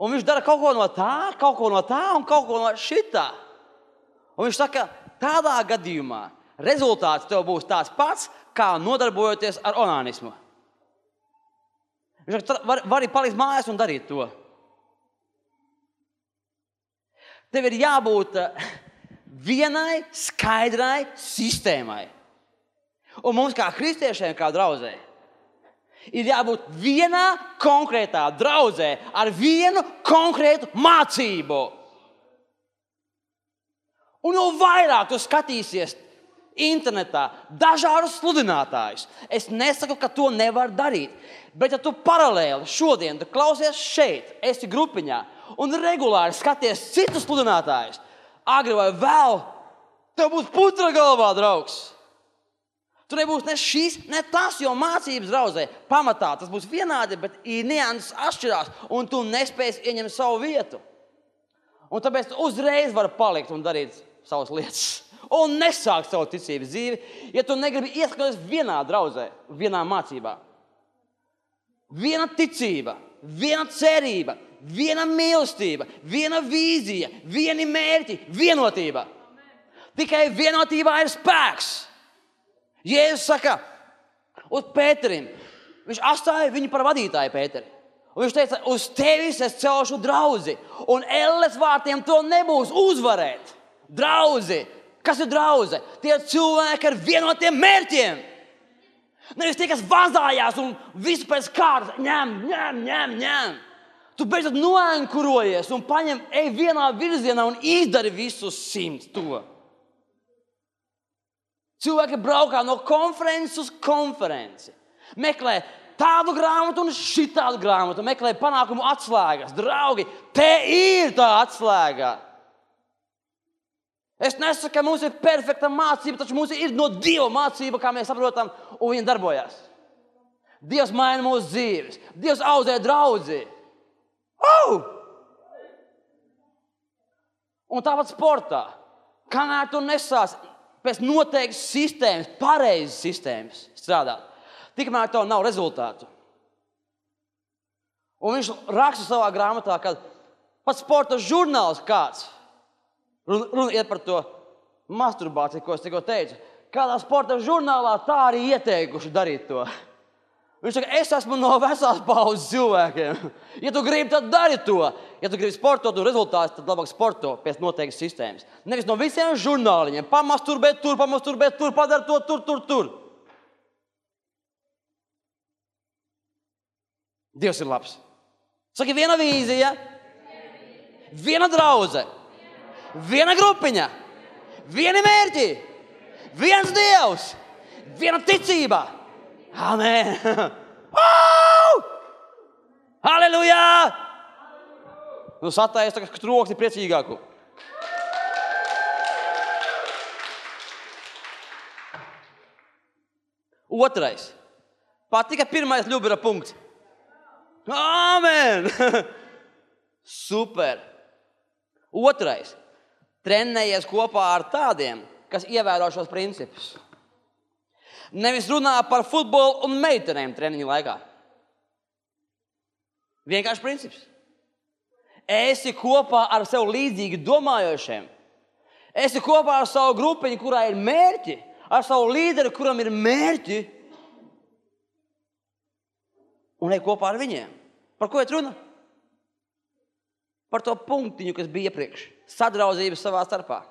Un viņš dara kaut ko no tā un kaut ko no šitā. Un viņš saka, tādā gadījumā rezultāts tev būs tāds pats, kā nodarbojoties ar onānismu. Viņš saka, vari palikt mājās un darīt to. Tev ir jābūt vienai skaidrai sistēmai. Un mums kā kristiešiem, kā draudzē, ir jābūt vienā konkrētā draudzē ar vienu konkrētu mācību. Un jo vairāk tu skatīsies internetā dažādus sludinātājus, es nesaku, ka to nevar darīt, bet ja tu paralēli šodien tu klausies šeit, esi grupiņā un regulāri skaties citus sludinātājus, agri vai vēl, tev būs putra galvā, draugs. Tu nebūs ne šis, ne tas, jo mācības draudzē pamatā tas būs vienādi, bet nianses atšķirās, un tu nespēsi ieņemt savu vietu. Un tāpēc tu uzreiz vari palikt un darīt savas lietas. Un nesākt savu ticības dzīvi, ja tu negribi ieskaties vienā draudzē, vienā mācībā. Viena ticība, viena cerība, viena mīlestība, viena vīzija, vieni mērķi, vienotība. Tikai vienotībā ir spēks. Jēzus saka uz Pēterim, viņš atstāja viņu par vadītāju Pēteri. Un viņš teica, uz tevis es celšu draudzi, un elles vārtiem to nebūs uzvarēt. Draudzi, kas ir draudze? Tie cilvēki ar vienotiem mērķiem. Nevis tie, kas vazājās un visu pēc kārtas ņem. Tu beidzot noenkurojies un ej vienā virzienā un izdari visu 100 to. Cilvēki braukā no konferences uz konferenci. Meklē tādu grāmatu un šitādu grāmatu. Meklē panākumu atslēgas. Draugi, te ir tā atslēga. Es nesaku, ka mums ir perfekta mācība, taču mums ir no Dieva mācība, kā mēs saprotam, un viņa darbojās. Dievs maina mūsu dzīves. Dievs audzē draudzi. Un tāpat sportā. Kamēr tu nesāc pēc noteiktas sistēmas, pareizas sistēmas strādāt, tikmēr tev nav rezultātu. Un viņš raksta savā grāmatā, ka pat sporta žurnāls kāds, runa iet par to masturbāciju, ko es tikko teicu, kādā sporta žurnālā tā arī ieteikuši darīt to. Viņš saka, es esmu no vecās paudzes cilvēkiem. Ja tu gribi, tad dari to. Ja tu gribi sportot un rezultātus, tad labāk sporto pēc noteiktas sistēmas. Nevis no visiem žurnāliņiem. Pamasturbēt tur, padara to tur. Dievs ir labs. Saki, viena vīzija, viena draudze, viena grupiņa, vieni mērķi, viens Dievs, viena ticība. Amen! Halleluja! Nu, satējies tagad troksni priecīgāku. Otrais. Patika pirmais ļubira punkts. Amen! Super! Otrais. Trenējies kopā ar tādiem, kas ievēro šos principus. Nevis runā par futbolu un meitenēm treniņu laikā. Vienkārši princips. Esi kopā ar sev līdzīgi domājošiem. Esi kopā ar savu grupiņu, kurā ir mērķi, ar savu līderi, kuram ir mērķi. Un ej kopā ar viņiem. Par ko iet runa? Par to punktiņu, kas bija iepriekš. Sadraudzība savā starpā.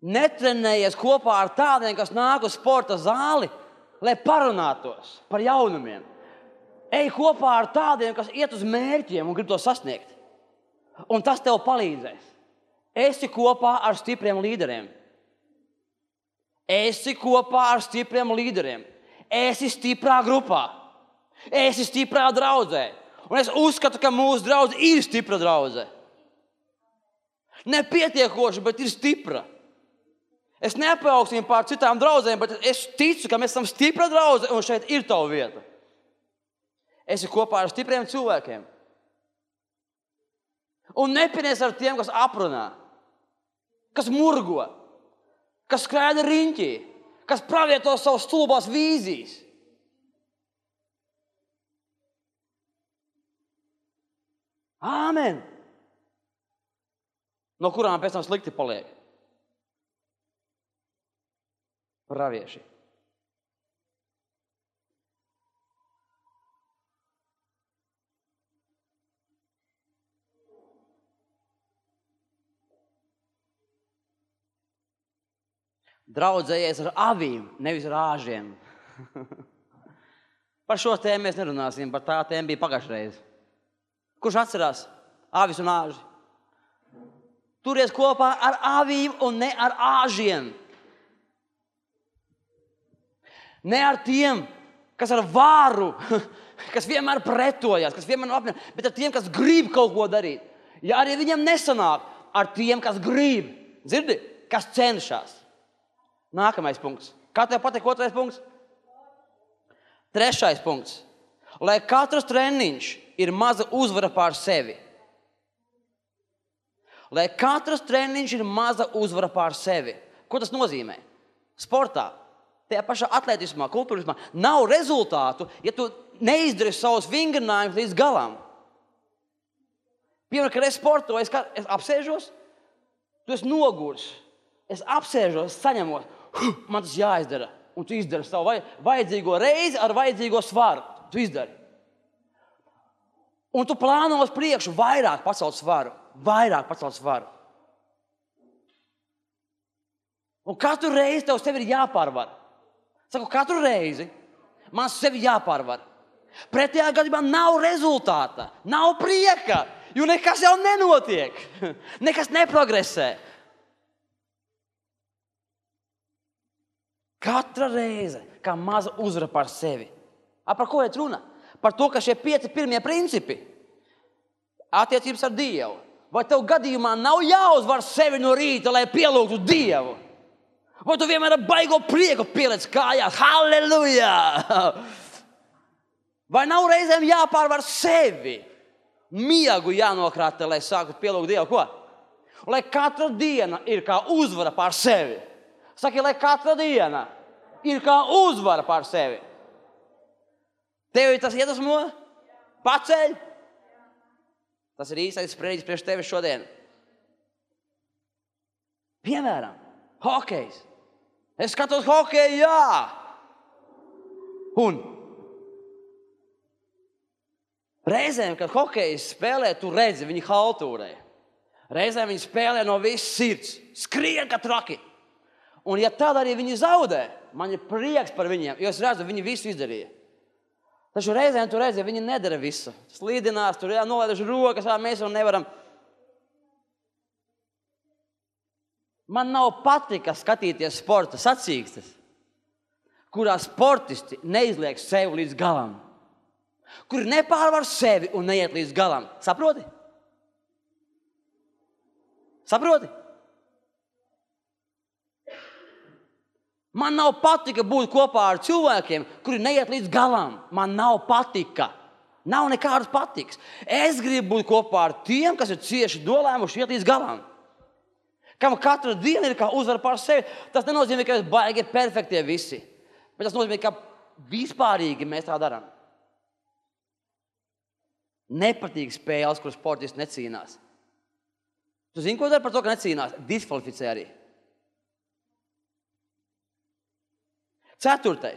Netrenējies kopā ar tādiem, kas nāk uz sporta zāli, lai parunātos par jaunumiem. Ej kopā ar tādiem, kas iet uz mērķiem un grib to sasniegt. Un tas tev palīdzēs. Esi kopā ar stipriem līderiem. Esi kopā ar stipriem līderiem. Esi stiprā grupā. Esi stiprā draudzē. Un es uzskatu, ka mūsu draudze ir stipra draudze. Nepietiekoši, bet ir stipra. Es neapaugstīju pār citām draudzēm, bet es ticu, ka mēs esam stipra draudze un šeit ir tava vieta. Esi kopā ar stipriem cilvēkiem. Un nepinies ar tiem, kas aprunā, kas murgo, kas skraida riņķī, kas pravieto savas stulbās vīzijas. Āmen! No kurām pēc tam slikti paliek. Pravieši. Draudzējies ar avīm, nevis ar āžiem. Par šo tēmu mēs nerunāsim, par tā tēma bija pagājušreiz. Kurš atcerās avis un āži? Turies kopā ar avīm un ne ar āžiem. Ne ar tiem, kas ar vāru, kas vienmēr pretojas, kas vienmēr apņem, bet ar tiem, kas grib kaut ko darīt. Ja arī viņam nesanāk, ar tiem, kas grib, dzirdi, kas cenšas. Nākamais punkts. Kā tev patīk 2. punkts? 3. punkts. Lai katrs treniņš ir maza uzvara pār sevi. Lai katrs treniņš ir maza uzvara pār sevi. Ko tas nozīmē? Sportā, tajā pašā atletismā, kultūrismā nav rezultātu, ja tu neizdari savus vingrinājumus līdz galam. Piemēram, kad es sportoju, es apsēžos, tu esi nogurs. Es apsēžos, saņemos, man tas jāizdara. Un tu izdari savu vajadzīgo reizi ar vajadzīgo svaru. Tu izdari. Un tu plāno uz priekšu vairāk pacelt svaru. Un katru reizi tev sevi ir jāpārvar. Saku, katru reizi man sevi jāpārvar. Pretējā gadījumā nav rezultāta, nav prieka, jo nekas jau nenotiek. Nekas neprogresē. Katra reize, kā maza uzvara par sevi. Par ko iet runa? Par to, ka šie 5 pirmie principi attiecības ar Dievu. Vai tev gadījumā nav jāuzvar sevi no rīta, lai pielūgtu Dievu? Vai tu vienmēr ar baigo prieku pieliec kājās? Halleluja! Vai nav reizēm jāpārvar sevi? Miegu jānokrāta, lai sāktu pielūgt Dievu. Ko? Lai katra diena ir kā uzvara pār sevi. Saki, lai katra diena ir kā uzvara pār sevi. Tevi tas iedvesmo? Paceļ? Tas ir īstais sprediķis priekš tevi šodien. Piemēram, hokejs. Es skatos hokeju, jā. Un reizēm, kad hokejs spēlē, tu redzi, viņi haltūrē. Reizēm viņi spēlē no visas sirds. Skrien kā traki. Un ja tad arī viņi zaudē, man ir prieks par viņiem, jo es redzu, viņi visu izdarīja. Taču reizēm tu redzi, viņi nedara visu. Slīdinās, tur nolaiduši rokas, mēs vēl nevaram. Man nav patika skatīties sporta sacīkstes, kurā sportisti neizliek sevi līdz galam. Kuri nepārvar sevi un neiet līdz galam. Saproti? Saproti? Man nav patika būt kopā ar cilvēkiem, kuri neiet līdz galam. Man nav patika. Nav nekādas patikas. Es gribu būt kopā ar tiem, kas ir cieši dolēmuši iet līdz galam. Kam katra diena ir kā uzvara pār sevi. Tas nenozīmē, ka mēs baigi perfektie visi. Bet tas nozīmē, ka vispārīgi mēs tā darām. Nepatīk spēles, kur sportisti necīnās. Tu zini, ko dara par to, ka necīnās? Diskvalificē arī. 4.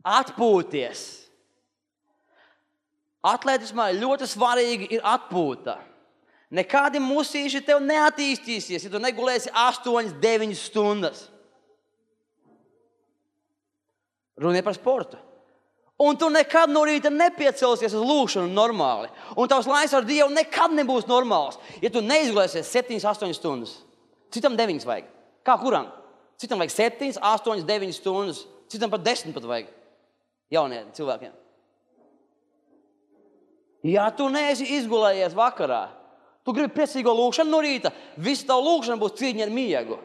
Atpūties. Atletismā ļoti svarīgi ir atpūta. Nekādi musīši tev neattīstīsies, ja tu negulēsi 8-9 stundas. Runa ir par sportu. Un tu nekad no rīta nepiecelsies uz lūkšanu normāli. Un tavs laiks ar Dievu nekad nebūs normāls, ja tu neizgulēsies 7-8 stundas. Citam 9 vajag. Kā kuram? Citam vajag 7, 8, 9 stundas. Citam pat 10 pat vajag. Jauniem cilvēkiem. Ja tu neesi izgulējies vakarā, tu gribi priecīgo lūkšanu no rīta, visa tava lūkšana būs cīņa ar miegu.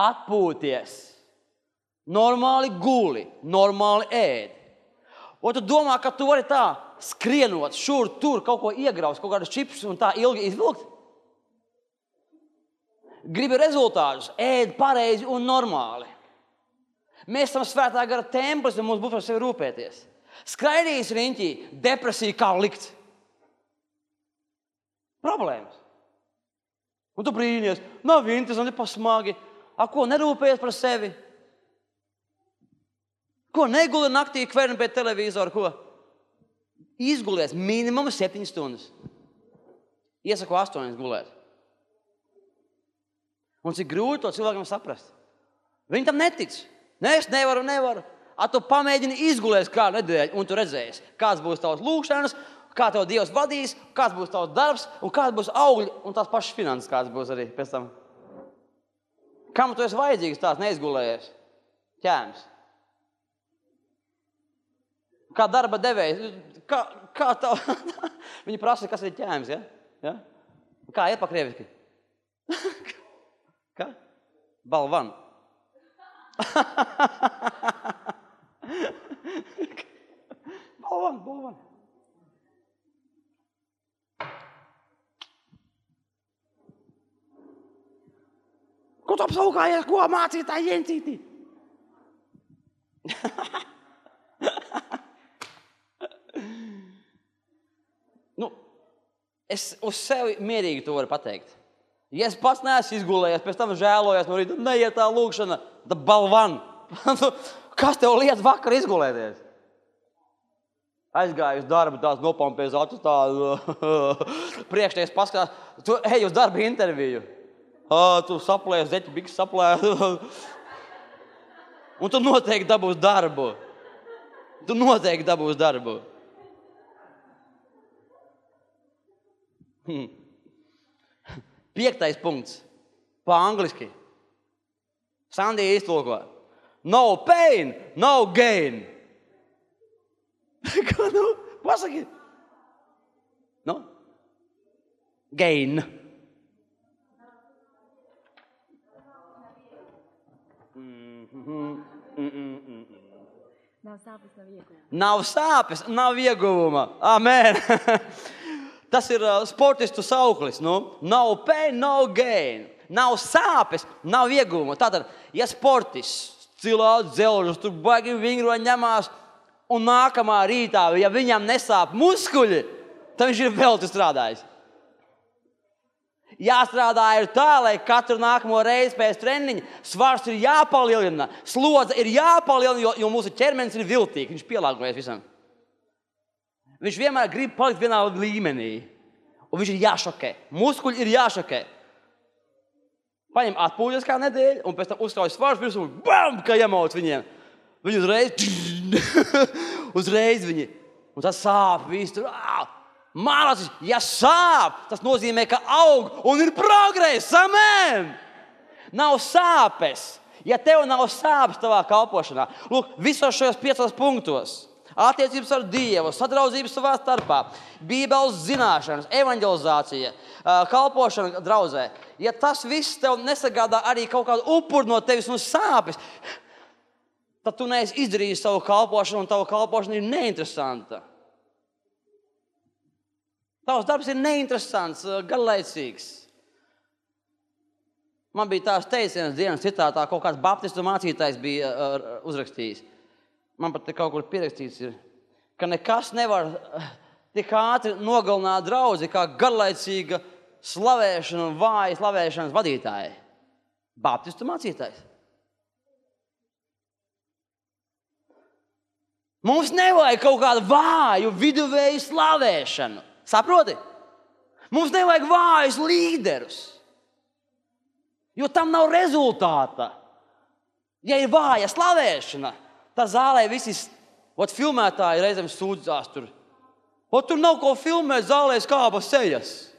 Atpūties. Normāli guli, normāli ēd. Un tu domā, ka tu vari tā skrienot, šur, tur, kaut ko iegraust, kaut kādus čipsus un tā ilgi izvilkt? Gribi rezultātus, ēd pareizi un normāli. Mēs esam svētā gara templis un mums būs par sevi rūpēties. Skraidīs riņķī, depresija kā likt. Problēmas. Un tu brīnies, nav interesanti, pasmagi. Ko nerūpējies par sevi? Ko neguli naktī kverni pēc televizoru, ko? Izgulies minimum 7 stundas. Iesaku 8 gulēt. Un cik grūti to cilvēkam saprast. Viņi tam netic. Ne, es nevaru. Tu pamēģini izgulēs kādu nedēļu, un tu redzēsi, kāds būs tavs lūkšanas, kā tev Dievs vadīs, kāds būs tavs darbs, un kāds būs augļi, un tās pašas finanses kāds būs arī pēc tam. Kam tu esi vajadzīgs tās neizgulējies? Ķēms. Kā darba devējs. Kā tev? Viņi prasa, kas ir ķēms, ja? Kā iet pa krieviski? Kā? Balvan. Balvan. Ko tu apsaukājies, ko mācītāji jēncītī? Es uz sevi mierīgi to varu pateikt. Ja es pats neesmu izgulējies, pēc tam žēlojos no rīta, neiet tā lūkšana, da balvan. Kas tev liet vakar izgulēties? Aizgāju uz darbu, tās nopampēs acis tādu priekšnieks paskatās. Tu ej uz darba interviju. Tu saplēs, zeķi biks saplēs. Un tu noteikti dabūs darbu. Piektais punkts. Pa angliski. Sandija iztulko. No pain, no gain. Kā pasaki? No? Gain. Nav sāpes, nav ieguvuma. Amen. Tas ir sportistu sauklis. No pain, no gain. Nav sāpes, nav ieguvuma. Tātad, ja sportists cilāt dzelžus, tur baigi vingro ņemās, un nākamā rītā, ja viņam nesāp muskuļi, tad viņš ir velti strādājis. Jāstrādā ir tā, lai katru nākamo reizi pēc treniņa svars ir jāpalielina, slodze ir jāpalielina, jo mūsu ķermenis ir viltīgs, viņš pielāgojas visam. Viņš vienmēr grib palikt vienā līmenī, un viņš ir jāšokē. Muskuļi ir jāšokē. Paņem atpūļas kā nedēļu, un pēc tam uzskauj svars virsū, bam, kā iemauc viņiem. Viņi uzreiz viņi, un tas sāp, viss tur, mālacis, ja sāp, tas nozīmē, ka aug un ir progress, amen! Nav sāpes, ja tev nav sāpes tavā kalpošanā. Lūk, visos šajos 5 punktos. Attiecības ar Dievu, sadraudzības savā starpā, Bībeles zināšanas, evanģelizācija, kalpošana draudzē. Ja tas viss tev nesagādā arī kaut kādu upuru no tevis un sāpes, tad tu neesi izdarījis savu kalpošanu, un tava kalpošana ir neinteresanta. Tavs darbs ir neinteresants, garlaicīgs. Man bija tās teicienas dienas citātā, kaut kāds baptistu mācītājs bija uzrakstījis. Man pat te kaut kur pierakstīts ir, ka nekas nevar tik ātri nogalināt draudzi, kā garlaicīga slavēšana un vāja slavēšanas vadītāji. Baptistu mācītājs. Mums nevajag kaut kādu vāju viduvēju slavēšanu. Saproti? Mums nevajag vājus līderus, jo tam nav rezultāta. Ja ir vāja slavēšana, tā zālē visi filmētāji reizēm sūdzās tur. Tur nav ko filmēt, zālē skāba sejas.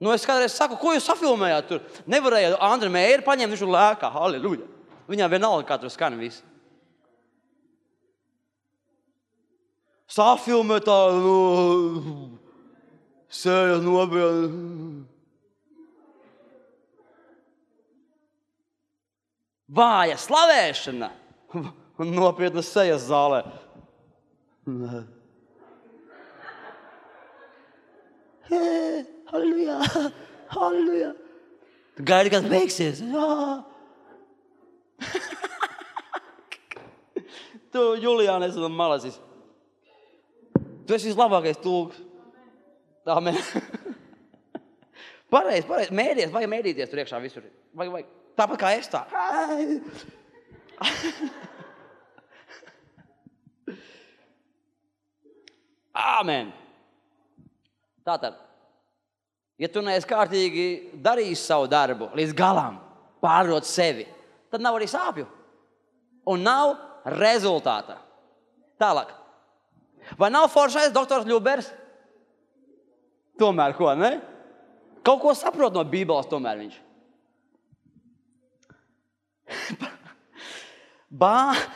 Es kādreiz saku, ko jūs safilmējāt tur? Nevarēja Andra Mēri paņemt, viņš tur lēkā, halleluja. Viņām vienalga, kā tur skan viss. Safilmēt tā, sejas nobēl. Vāja slavēšana un nopietnas sejas zālē. Halleluja, halleluja. Tu gaidi, kad beigsies. Tu, Julijāna, esi malacis. Tu esi vislabākais tulks. Amen. Pareizi. Mēdīties, vajag mēdīties tur iekšā visur. Vajag. Tāpat kā es tā. Āmen. Tātad, ja tu neesi kārtīgi darījis savu darbu līdz galam, pārdot sevi, tad nav arī sāpju. Un nav rezultāta. Tālāk. Vai nav foršais doktors Ļubers? Tomēr ko, ne? Kaut ko saprot no Bībeles tomēr viņš.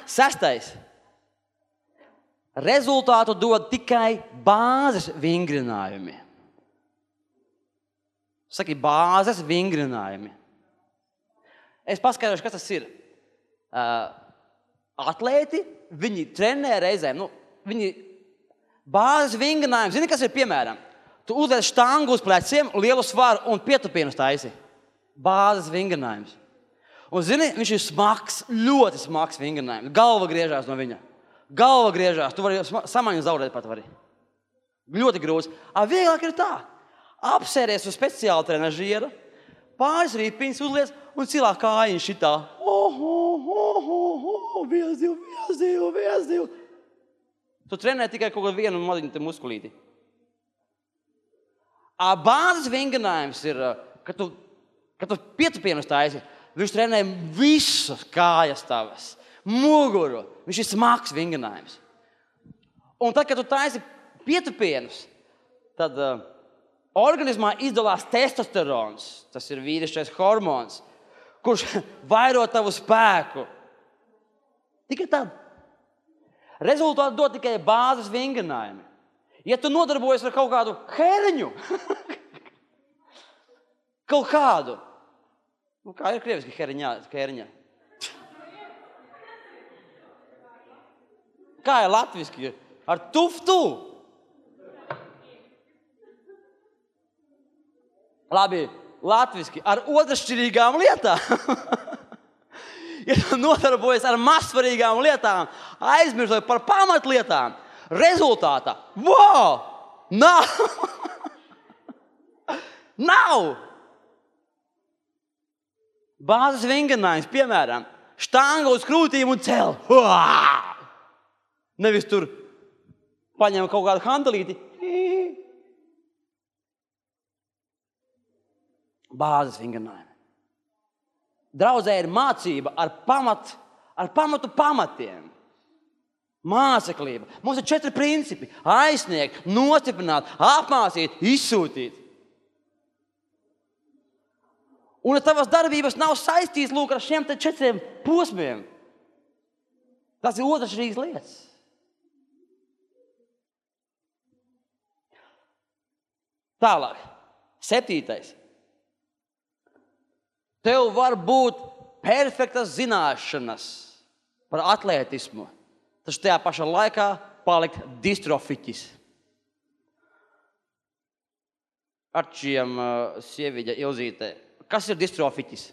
Sestais. Rezultātu dod tikai bāzes vingrinājumi. Saki, bāzes vingrinājumi. Es paskaidrošu, kas tas ir. Atlēti, viņi trenē reizēm. Viņi bāzes vingrinājumi. Zini, kas ir piemēram? Tu uzliec štangu uz pleciem, lielu svaru un pietupienus taisi. Bāzes vingrinājums. Un zini, viņš ir smags, ļoti smags vingrinājums. Galva griežās no viņa. Galva griežās. Tu vari samaņu zaudēt pat vari. Ļoti grūts. Vieglāk ir tā. Apsēries uz speciālu trenažieru, pāris rīpiņas uzliec un cilā kājiņu šitā. Viesdivu. Tu trenē tikai kaut kādu vienu maziņu muskulīti. Bāzes vingrinājums ir, kad tu pietupienus taisi, viņš trenē visas kājas tavas, muguru. Viņš ir smags vingrinājums. Un tad, kad tu taisi pietupienus, tad organismā izdalās testosterons. Tas ir vīrišķais hormons, kurš vairo tavu spēku. Tikai tad. Rezultātu dod tikai bāzes vingrinājumi. Ja tu nodarbojies ar kaut kādu herņu, kaut kādu, kā ir krieviski herņa? Kā ir latviski? Ar tuftu? Labi, latviski, ar otršķirīgām lietām. Ja tu nodarbojies ar mazsvarīgām lietām, aizmirstot par pamatlietām, rezultātā, nav. Bāzes vingrinājums, piemēram, štanga uz krūtīm un cel. Nevis tur paņem kaut kādu hantelīti. Bāzes vingrinājumi. Draudzē ir mācība ar pamatu pamatiem. Māceklība. Mums ir 4 principi. Aizsniegt, nostiprināt, apmācīt, izsūtīt. Un ja tavas darbības nav saistītas ar šiem 4 posmiem, tas ir otršķirīgas lietas. Tālāk. 7. Tev var būt perfektas zināšanas par atlētismu, taču tajā pašā laikā palikt distrofiķis. Arčiem sieviņa Ilzītē. Kas ir distrofiķis?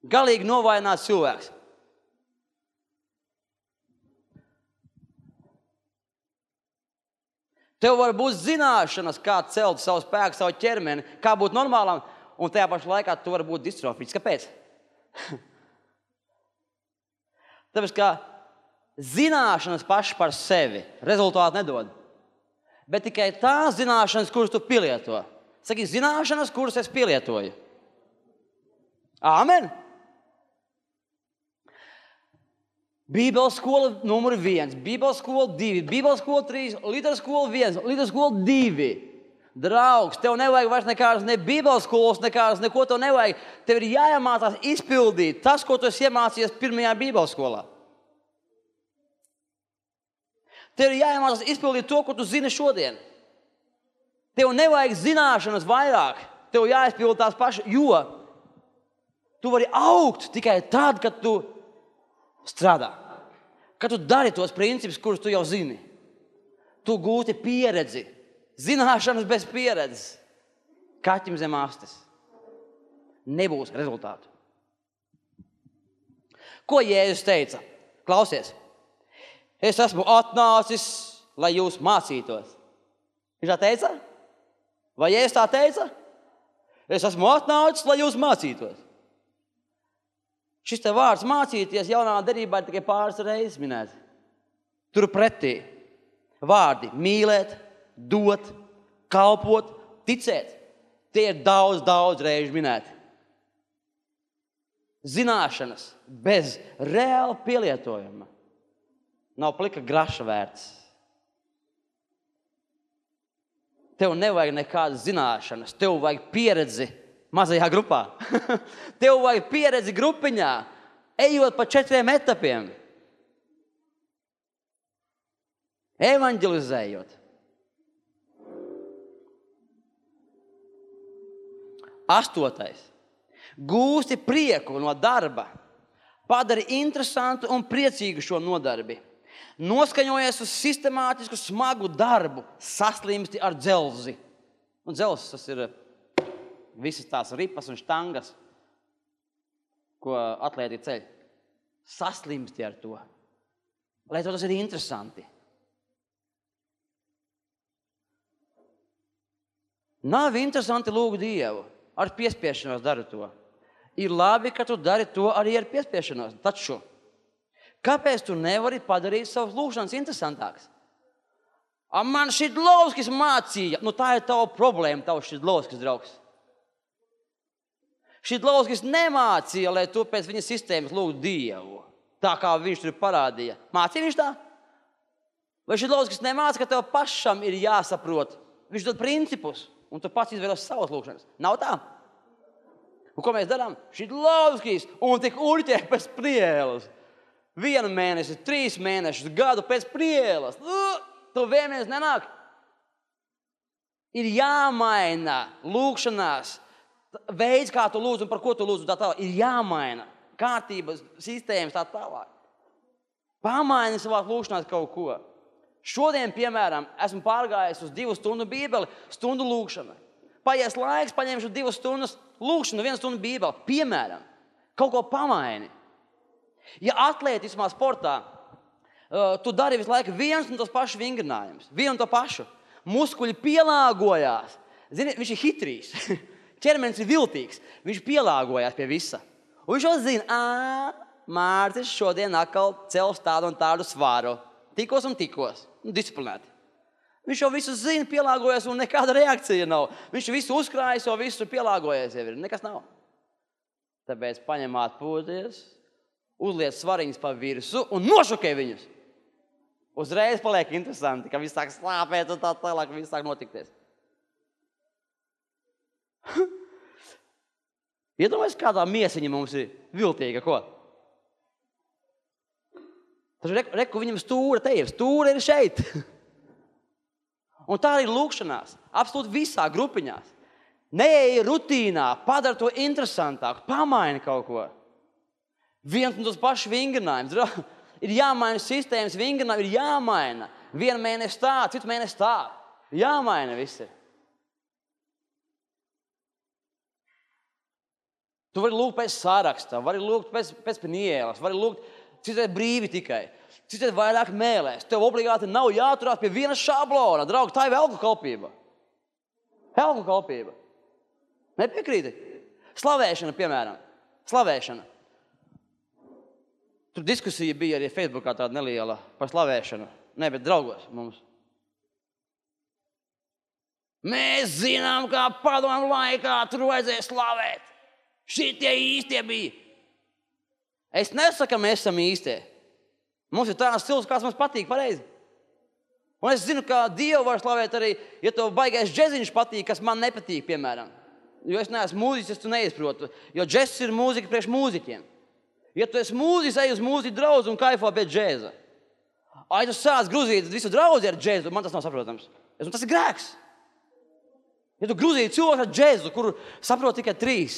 Galīgi novājināts cilvēks. Tev var būt zināšanas, kā celt savu spēku, savu ķermeni, kā būt normālam, un tajā pašā laikā tu vari būt distrofiķis. Kāpēc? Tāpēc, ka zināšanas paši par sevi rezultātu nedod. Bet tikai tās zināšanas, kuras tu pielieto. Saki, zināšanas, kuras es pielietoju. Āmen! Bībeles skola numur 1, Bībeles skola 2, Bībeles skola 3, Līderu skola 1, Līderu skola 2. Draugs, tev nevajag vairs nekādas ne Bībeles skolas, nekādas, neko tev nevajag. Tev ir jāiemācās izpildīt tas, ko tu esi iemācījies pirmajā Bībeles skolā. Tev ir jāiemācās izpildīt to, ko tu zini šodien. Tev nevajag zināšanas vairāk, tev jāizpild tās pašas, jo tu vari augt tikai tad, kad tu strādā. Kad tu dari tos principus, kurus tu jau zini. Tu gūti pieredzi. Zināšanas bez pieredzes. Kaķim zem astes. Nebūs rezultātu. Ko Jēzus teica? Klausies. Es esmu atnācis, lai jūs mācītos. Viņš tā teica? Vai Jēzus tā teica? Es esmu atnācis, lai jūs mācītos. Šis te vārds mācīties jaunā derībā ir tikai pāris reizes minēts. Tur pretī vārdi mīlēt, dot, kalpot, ticēt. Tie ir daudz reižu minēti. Zināšanas bez reāla pielietojuma nav plika graša vērts. Tev nevajag nekādas zināšanas, tev vajag pieredzi mazajā grupā. Tev vajag pieredzi grupiņā, ejot pa 4 etapiem. Evanģelizējot. 8. Gūsti prieku no darba. Padari interesantu un priecīgu šo nodarbi. Noskaņojies uz sistemātisku smagu darbu. Saslimsti ar dzelzi. Un dzelzs, tas ir visas tās ripas un štangas, ko atlēti ceļ. Saslimsti ar to. Lai to tas ir interesanti. Nav interesanti lūgt Dievu. Ar piespiešanos dari to. Ir labi, ka tu dari to arī ar piespiešanos. Taču, kāpēc tu nevari padarīt savus lūgšanas interesantākas? Man Šidlovskis mācīja. Tā ir tava problēma, tavs Šidlovskis draugs. Šidlovskis nemācīja, lai tu pēc viņa sistēmas lūgtu Dievu. Tā kā viņš tur parādīja. Mācīja viņš tā? Vai Šidlovskis nemāca, ka tev pašam ir jāsaprot? Viņš dod principus. Un tu pats izvēlos savas lūgšanas. Nav tā? Un ko mēs darām? Šidlovskis un tik uļķē pēc prielas. 1 mēnesi, 3 mēnešus, gadu pēc prielas. Tu vienmēr nenāk. Ir jāmaina lūgšanās. Veids, kā tu lūdz un par ko tu lūdz, tā tālāk. Ir jāmaina kārtības, sistēmas tā tālāk. Pamaini savās lūgšanās kaut ko. Šodien, piemēram, esmu pārgājis uz 2 stundu bībeli, stundu lūgšana. Paies laiks, paņemšu 2 stundas lūgšanu, 1 stundu bībeli. Piemēram, kaut ko pamaini. Ja atlētismā sportā tu dari visu laiku viens un tos pašus vingrinājumus, vienu un to pašu, muskuļi pielāgojās. Zini, viņš ir hitrīs, ķermenis ir viltīgs, viņš pielāgojās pie visa. Un viņš jau zina, Mārcis šodien atkal cels tādu un tādu svāru. Tikos un tikos. Disciplinēti. Viņš jau visu zina, pielāgojas un nekāda reakcija nav. Viņš visu uzkrājas, jau visu pielāgojas jau ir. Nekas nav. Tāpēc paņem atpūties, uzliec svariņus pa virsu un nošokē viņus. Uzreiz paliek interesanti, ka viss sāk slāpēt un tā tālāk, viss sāk notikties. Iedomājies, kādā miesiņa mums ir viltīga, ko? Taču reku viņam stūra te ir, stūra ir šeit. Un tā ir lūgšanās, absolūti visā grupiņās. Neej rutīnā, padara to interesantāku, pamaini kaut ko. Viens un tos pašus vingrinājums. Ir jāmaina sistēmas, vingrinājumi ir jāmaina. 1 mēnesi tā, citu mēnesi tā. Jāmaina visi. Tu vari lūgt pēc saraksta, vari lūgt pēc pnielas, vari lūgt citēt brīvi tikai, citēt vairāk mēlēs. Tev obligāti nav jāturās pie viena šablona. Draugi, tā ir elku kalpība. Elku kalpība. Nepiekrīti? Slavēšana, piemēram. Slavēšana. Tur diskusija bija arī Facebookā tāda neliela par slavēšanu. Ne, bet draugos mums. Mēs zinām, kā padomu laikā tur vajadzēja slavēt. Šitie īstie bija. Es nesaku, ka mēs esam īstie. Mums ir tāds stils, kāds mums patīk pareizi. Un es zinu, ka Dievu var slavēt arī, ja tev baigais džeziņš patīk, kas man nepatīk, piemēram. Jo es neesmu mūziķis, es tu neizprotu. Jo džezs ir mūzika priekš mūziķiem. Ja tu esi mūziķis, ej uz mūziķu draudzi un kaifo pēc džeza. Ai, tu sāc gruzīt visu draudzi ar džezu, man tas nav saprotams. Tas ir grēks. Ja tu grūzīji cilvēku ar džezu, kur saprot tikai 3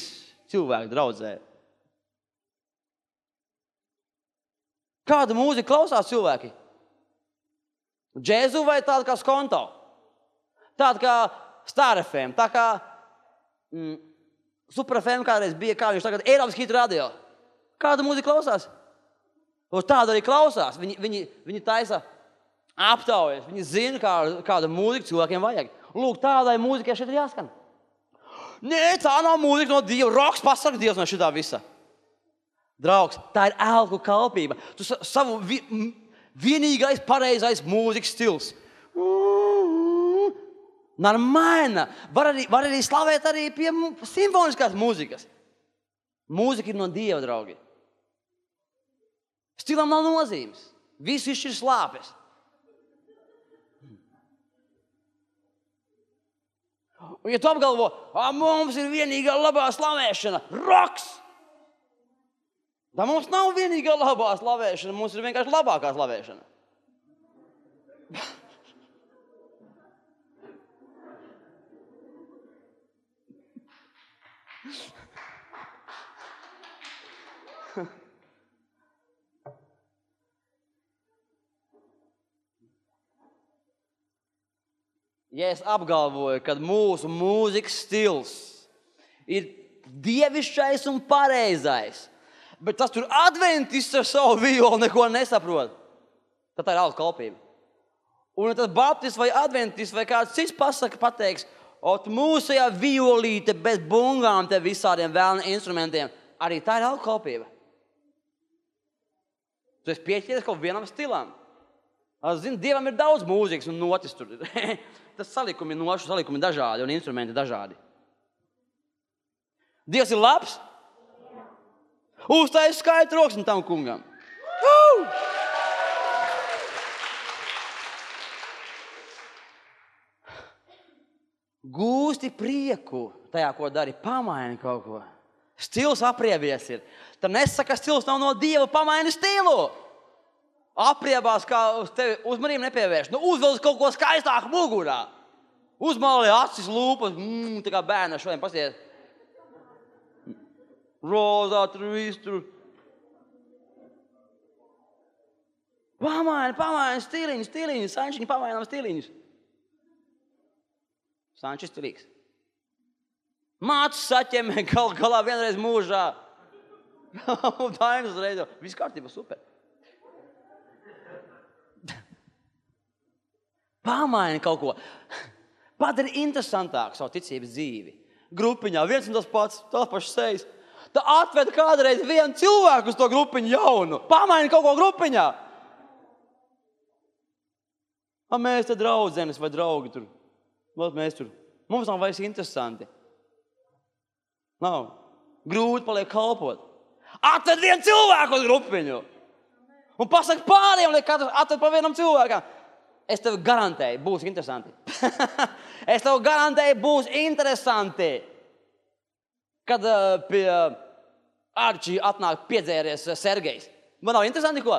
cilvēki draudzē. Kādu mūziku klausās cilvēki? Džezu vai tādu kā Skonto? Tādu kā Star FM, tā kā Super FM kādreiz bija, kā viņš tagad Eiropas hitu radio. Kādu mūziku klausās? Tādu arī klausās. Viņi taisa aptaujas, viņi zina, kāda mūzika cilvēkiem vajag. Lūk, tādai mūzikai šeit ir jāskan. Nē, tā nav mūzika no Dieva. Roks pasaka Dievs no šitā visa. Draugs, tā ir elku kalpība. Tu savu vienīgais pareizais mūzikas stils. Normāļna. Var arī slavēt arī pie simfoniskās mūzikas. Mūzika ir no Dieva, draugi. Stilam nav nozīmes. Viss ir slāpes. Un ja tu apgalvo, mums ir vienīgā labā slavēšana, roks! Tā mums nav vienīgā labā slavēšana, mums ir vienkārši labākā slavēšana. Ja es apgalvoju, ka mūsu mūzikas stils ir dievišķais un pareizais, bet tas tur adventists ar savu violu neko nesaprot, tad tā ir alka kalpība. Un tas baptists vai adventists vai kāds cits pateiks, mūsējā violīte bez bungām te visādiem vēlna instrumentiem, arī tā ir alka kalpība. Tu esi pieķēries kaut vienam stilam. Zini, Dievam ir daudz mūzikas un notis tur. Tas salikumi nošu salikumi dažādi un instrumenti dažādi. Dievs ir labs? Uztais skaitu roksni tam kungam. Gūsti prieku tajā, ko dari, pamaini kaut ko. Stils apriebies ir. Tad nesaka, ka stils nav no Dieva, pamaini stilu. Apriebās, kā uz tevi uzmanību nepievērš. Uzvelc kaut ko skaistāku mugurā. Uzmāli acis, lūpas, tā kā bērna šodien pasies. Rozā, tur viss tur. Pamaini stiliņus, Sančiņi pamainām stiliņus. Sančis stilīgs. Mācis saķemē galā vienreiz mūžā. Dainas reido. Viss kārtībā, super. Pamaini kaut ko. Padari interesantāku savu ticības dzīvi. Grupiņā viens un tas pats, tās pašas sejas. Tā atved kādreiz vienu cilvēku uz to grupiņu jaunu. Pamaini kaut ko grupiņā. Mēs te draudzenes vai draugi tur. Mēs tur. Mums nav vairs interesanti. Nav. Grūti paliek kalpot. Atved vienu cilvēku uz grupiņu. Un pasaka pāriem, lai katrs atved pa vienam cilvēkam. Es tev garantēju, būs interesanti. Es tev garantēju, būs interesanti. Kad pie Arčī atnāk piedzēries Sergejs. Man nav interesanti ko?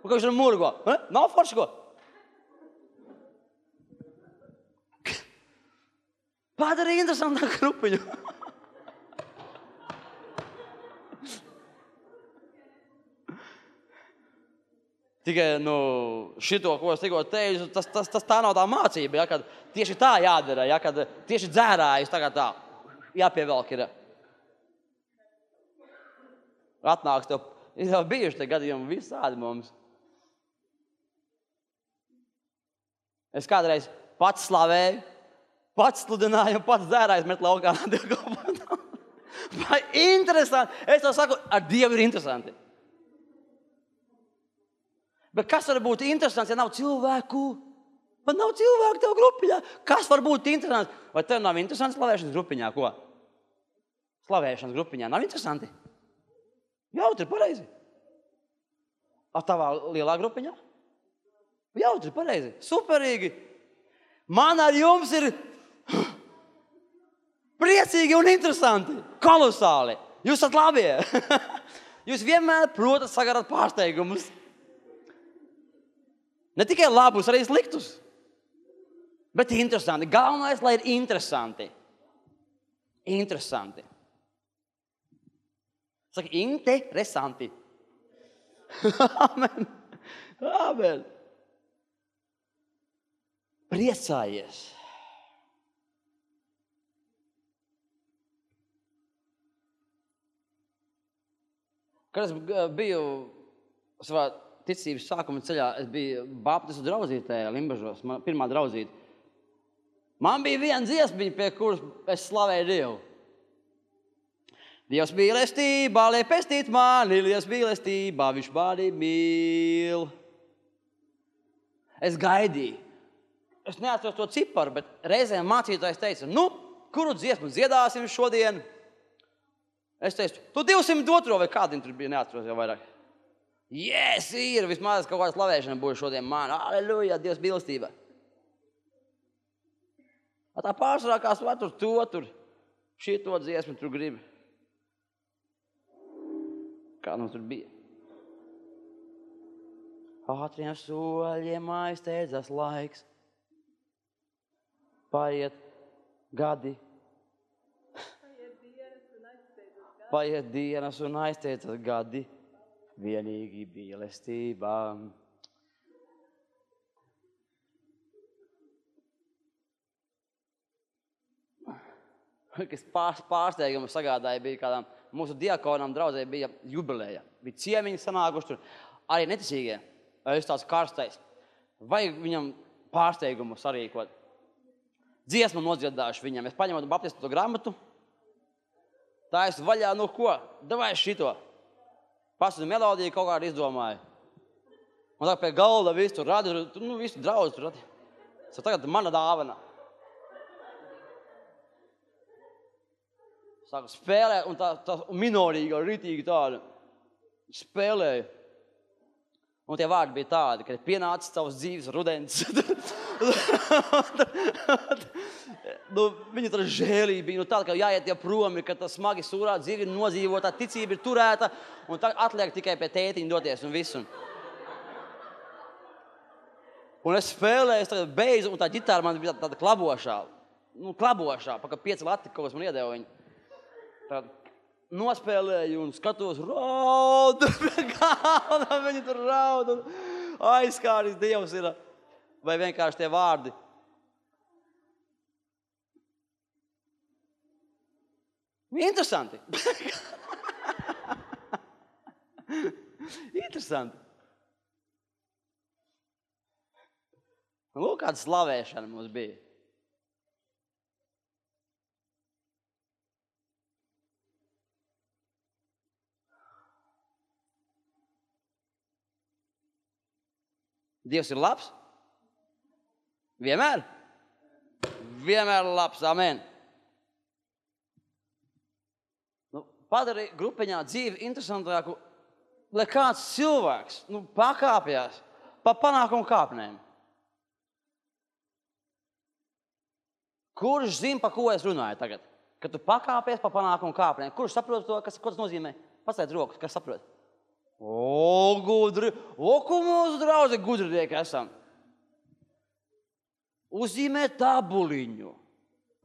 Ko viņš ar murgo? Nav forši ko? Padari interesantā grupiņu. Tikai šito, ko es tikko teicu, tas tā nav tā mācība, ja, kad tieši tā jādara, ja, kad tieši dzērājus tagad tā jāpievelk ir. Atnāks tev, ir jau bijuši te gadījumi visādi mums. Es kādreiz pats slavēju, pats sludināju, pats dzērājus met laukā. Vai interesanti? Es tev saku, ar Dievu ir interesanti. Bet kas var būt interesants, ja nav cilvēku? Man nav cilvēku tev grupiņā. Kas var būt interesants? Vai tev nav interesants slavēšanas grupiņā? Ko? slavēšanas grupiņā. Nav interesanti? Jautri, pareizi. A tavā lielā grupiņā? Jautri, pareizi. Superīgi. Man ar jums ir priecīgi un interesanti. Kolosāli. Jūs esat labie. Jūs vienmēr protat sagarat pārsteigumus. Ne tikai labus, arī sliktus. Bet interesanti. Galvenais, lai ir interesanti. Interesanti. Saka, interesanti. Amen. Amen. Priecājies. Kad es biju savā ticības sākuma ceļā, es biju baptistu draudzītē Limbažos, man pirmā draudzīte. Man bija viena dziesmiņa, pie kuras es slavēju Dievu. Dievs mīlestībā, lai pestīt mani, Dievs mīlestībā, viņš mani mīl. Es gaidīju. Es neatceros to ciparu, bet reizēm mācītājs teica, kuru dziesmu dziedāsim šodien? Es teicu, tu 202 vai kādiem tur bija, neatceros jau vairāk. Yes, ir, vismaz kaut kāda slavēšana būs šodien man. Aleluja, Dievs mīlestība. Tā pārsvarā kā svētur tur šito dziesmu tur grib. Kā nu tur bija? Ātriem soļiem aizsteidzas laiks. Paiet gadi. Paiet dienas un aizsteidzas gadi. Vienīgi mīlestībā. Kas pārsteigumu sagādāja, bija kādām mūsu diakonām draudzē bija jubileja. Bija ciemiņi sanākuši tur. Arī neticīgie. Es tāds karstais. Vajag viņam pārsteigumu sarīkot. Dziesmu nodziedāšu viņam. Es paņemu baptistu grāmatu. Tā es vaļā, ko? Davai šito. Pasūdu melodiju kaut kādu izdomāju. Un tā pie galda visu tur radi, visu draudzi tur radi. Tagad mana dāvana. Sāku spēlēt, un tā minorīga, ritīgi tāda spēlēja. Un tie vārdi bija tādi, ka ir pienācis tavs dzīves rudens. Viņa tā žēlība bija tāda, ka jāiet jau promi, ka tā smagi sūrā dzīve ir nodzīvota, ticība ir turēta, un tā atliek tikai pie tētiņa doties un visu. Un es spēlēju, es tagad beidzu, un tā ģitāra man bija tāda klabošā. Klabošā, pa kā 5 lati kaut kas man iedeva viņu. Tad nospēlēju un skatos, raud, galda, viņi tur raud, un aizskāris Dievs ir, vai vienkārši tie vārdi. Interesanti. Interesanti. Lūk, kāda slavēšana mums bija. Dievs ir labs? Vienmēr? Vienmēr labs, amen. Padari grupiņā dzīvi interesantāku, lai kāds cilvēks pakāpjās pa panākumu kāpnēm. Kurš zina, pa ko es runāju tagad? Kad tu pakāpies pa panākumu kāpnēm. Kurš saprot to, ko tas nozīmē? Pastājiet rokas, kas saprot? Gudri. Ko mūsu draudzi gudrinieki esam? Uzzīmē tabuliņu.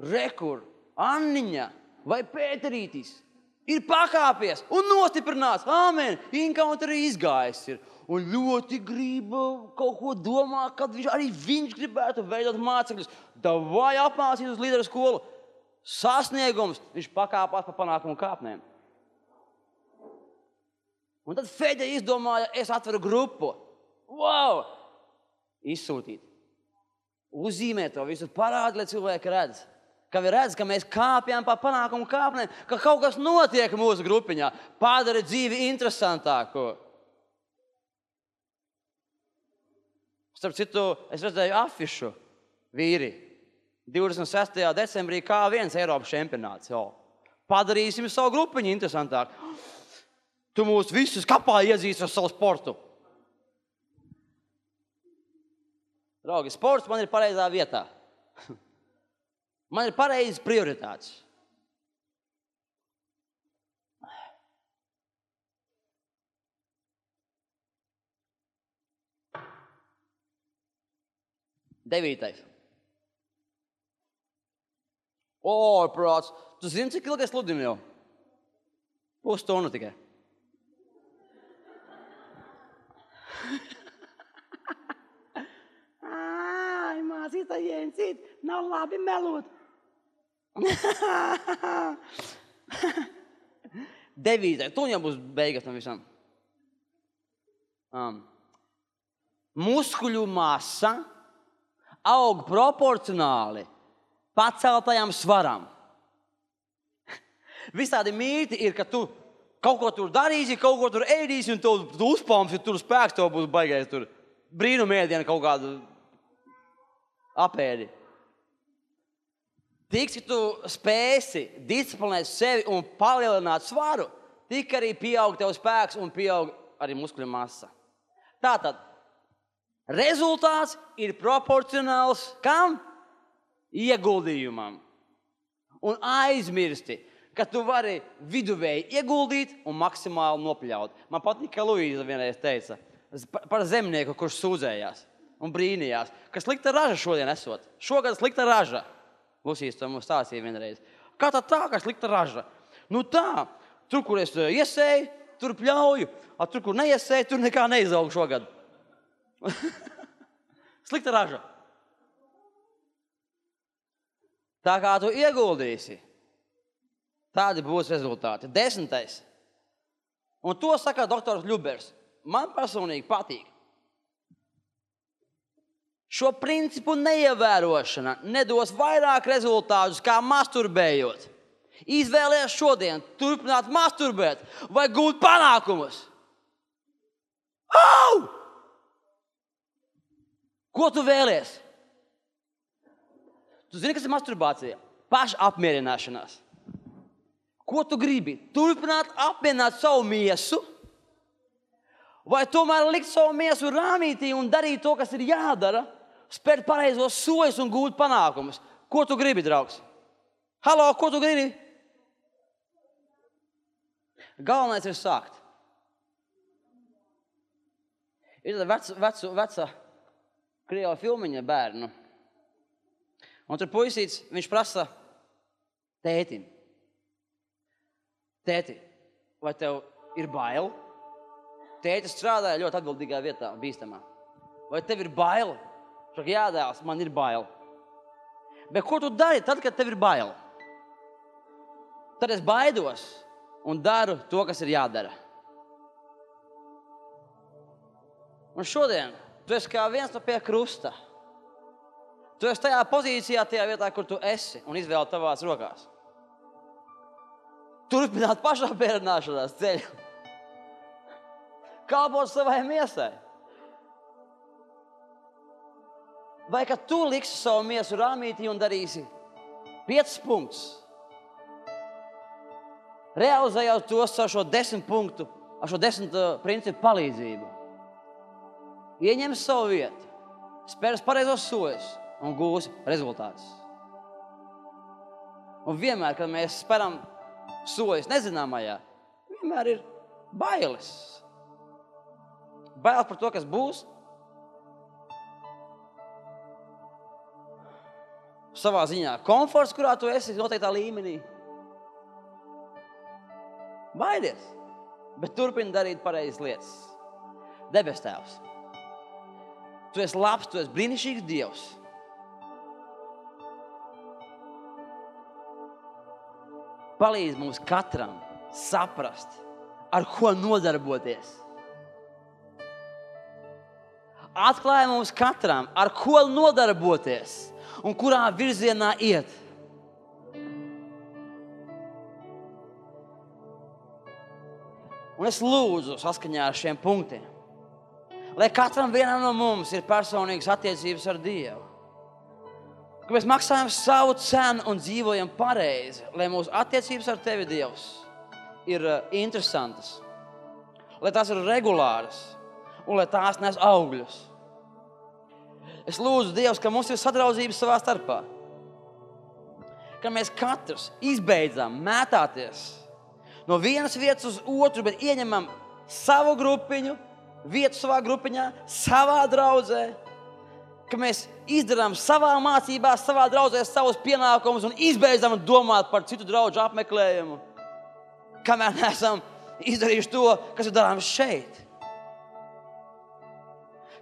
Rekur, Anniņa vai Pēterītis ir pakāpies un nostiprināts. Āmen. Encounterī izgājis ir. Un ļoti grib kaut ko domāt, kad arī viņš gribētu veidot mācekļus. Davai apmācīt uz līderu skolu. Sasniegums. Viņš pakāpās pa panākumu kāpnēm. Un tad Fede izdomāja, es atveru grupu. Wow! Izsūtīt. Uzzīmē to visu, parādi, lai cilvēki redz. Ka viņi redz, ka mēs kāpjam pa panākumu kāpnēm, ka kaut kas notiek mūsu grupiņā. Padara dzīvi interesantāku. Starp citu, es redzēju afišu vīri. 26. decembrī K1 Eiropas čempionāts. Padarīsim savu grupiņu interesantāku. Tu mūs visus kapā iezīsti ar savu sportu. Draugi, sports man ir pareizā vietā. Man ir pareizas prioritātes. Devītais. Prāts, tu zini, cik ilgi es sludinu jau? Pusstundu tikai. Mācītā jēncīt, nav labi melot. Devītais, tu jau būs beigas tam visam. Muskuļu masa aug proporcionāli paceltajam svaram. Visādi mīti ir, ka tu kaut ko tur darīsi, kaut ko tur ēdīsi un tu uzpalmsi, tur spēks tev būs baigais tur brīnumēdiena kaut kādu apēdi. Tik, ka tu spēsi disciplinēt sevi un palielināt svaru, tik arī pieaug tev spēks un pieaug arī muskuļu masa. Tātad, rezultāts ir proporcionāls kam? Ieguldījumam. Un aizmirsti, ka tu vari viduvēji ieguldīt un maksimāli nopļaut. Man patīk, ka Luīza vienreiz teica par zemnieku, kurš sūdzējās un brīnījās, ka slikta raža šodien esot. Šogad slikta raža. Lusīs to mums stāstīja vienreiz. Kā tā, ka slikta raža? Nu tā, tur, kur es iesēju, tur pļauju, a tur, kur neiesēju, tur nekā neizaug šogad. Slikta raža. Tā kā tu ieguldīsi, tādi būs rezultāti. 10. Un to saka doktors Ļubers. Man personīgi patīk. Šo principu neievērošana nedos vairāk rezultātus kā masturbējot. Izvēlies šodien turpināt masturbēt vai gūt panākumus. Au! Ko tu vēlies? Tu zini, kas ir masturbācija? Pašapmierināšanās. Ko tu gribi? Turpināt apmierināt savu miesu? Vai tomēr likt savu miesu rāmītī un darīt to, kas ir jādara, spērt pareizos soļus un gūt panākumus? Ko tu gribi, draugs? Halo, ko tu gribi? Galvenais ir sākt. Ir tāda veca krieva filmiņa bērnu. Un tur puisīts, viņš prasa tētim. Tēti, vai tev ir bail? Tētis strādāja ļoti atbildīgā vietā, bīstamā. Vai tev ir bail? Saka, jā, dēls, man ir bail. Bet ko tu dari tad, kad tev ir bail? Tad es baidos un daru to, kas ir jādara. Un šodien tu esi kā viens no pie krusta. Tu esi tajā pozīcijā, tajā vietā, kur tu esi un izvēli tavās rokās. Turpināt pašapmierināšanās ceļu. Kalpot savai miesai. Vai ka tu liksi savu miesu rāmītī un darīsi 5 punktus? Realizējot tos ar šo 10 punktu, ar šo 10 principu palīdzību. Ieņem savu vietu, spērs pareizos soļus un gūsi rezultātus. Un vienmēr, kad mēs speram soļus nezināmajā, vienmēr ir bailes. Bailes par to, kas būs. Savā ziņā komforts, kurā tu esi noteiktā līmenī. Baidies, bet turpini darīt pareizas lietas. Debes Tēvs, tu esi labs, tu esi brīnišķīgs Dievs. Palīdz mums katram saprast, ar ko nodarboties. Atklāj mums katram, ar ko nodarboties un kurā virzienā iet. Un es lūdzu saskaņā ar šiem punktiem, lai katram vienam no mums ir personīgas attiecības ar Dievu. ka mēs maksājam savu cenu un dzīvojam pareizi, lai mūsu attiecības ar tevi, Dievs, ir interesantas, lai tās ir regulāras un lai tās nes augļus. Es lūdzu, Dievs, ka mums ir sadraudzības savā starpā, ka mēs katrs izbeidzam mētāties no vienas vietas uz otru, bet ieņemam savu grupiņu, vietu savā grupiņā, savā draudzē, ka mēs izdarām savā mācībā, savā draudzē savus pienākumus un izbeidzam domāt par citu draugu apmeklējumu, kamēr neesam izdarījuši to, kas ir darāms šeit.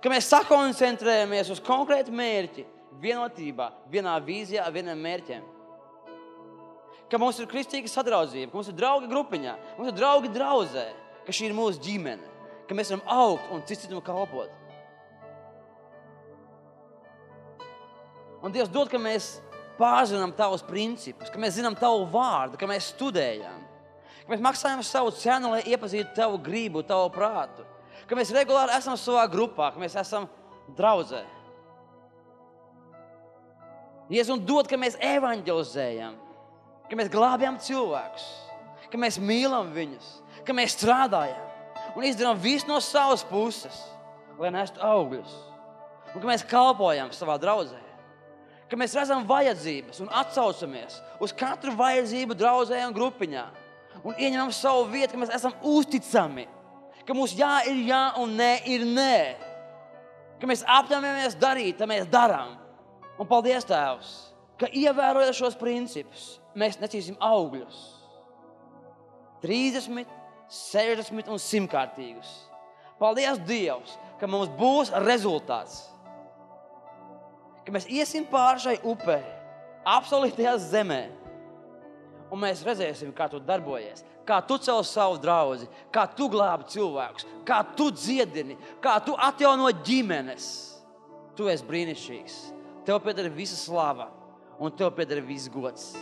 Ka mēs sakoncentrējamies uz konkrētu mērķi, vienotībā, vienā vīzijā, vienam mērķiem. Ka mums ir kristīga sadraudzība, ka mums ir draugi grupiņā, mums ir draugi draudzē, ka šī ir mūsu ģimene, ka mēs varam augt un citam kalpot. Un Dievs dod, ka mēs pārzinām tavus principus, ka mēs zinām tavu vārdu, ka mēs studējam, ka mēs maksājam savu cenu, lai iepazītu tavu gribu, tavu prātu, ka mēs regulāri esam savā grupā, ka mēs esam draudzē. Jēzus, un dod, ka mēs evanģelizējam, ka mēs glābjam cilvēkus, ka mēs mīlam viņus, ka mēs strādājam un izdarām visu no savas puses, lai nestu augļus, un ka mēs kalpojam savā draudzē, ka mēs redzam vajadzības un atsaucamies uz katru vajadzību draudzē un grupiņā un ieņemam savu vietu, ka mēs esam uzticami, ka mūsu jā ir jā un nē ir nē, ka mēs apņemamies darīt, tad mēs darām. Un paldies, Tēvs, ka ievērojot šos principus, mēs nesīsim augļus. 30, 60 un 100-kārtīgus. Paldies, Dievs, ka mums būs rezultāts. Ka mēs iesim pāri šai upē, apsolītajā zemē, un mēs redzēsim, kā tu darbojies, kā tu cel savu draudzi, kā tu glābi cilvēkus, kā tu dziedini, kā tu atjauno ģimenes. Tu esi brīnišķīgs. Tev pieder visa slava un tev pieder viss gods.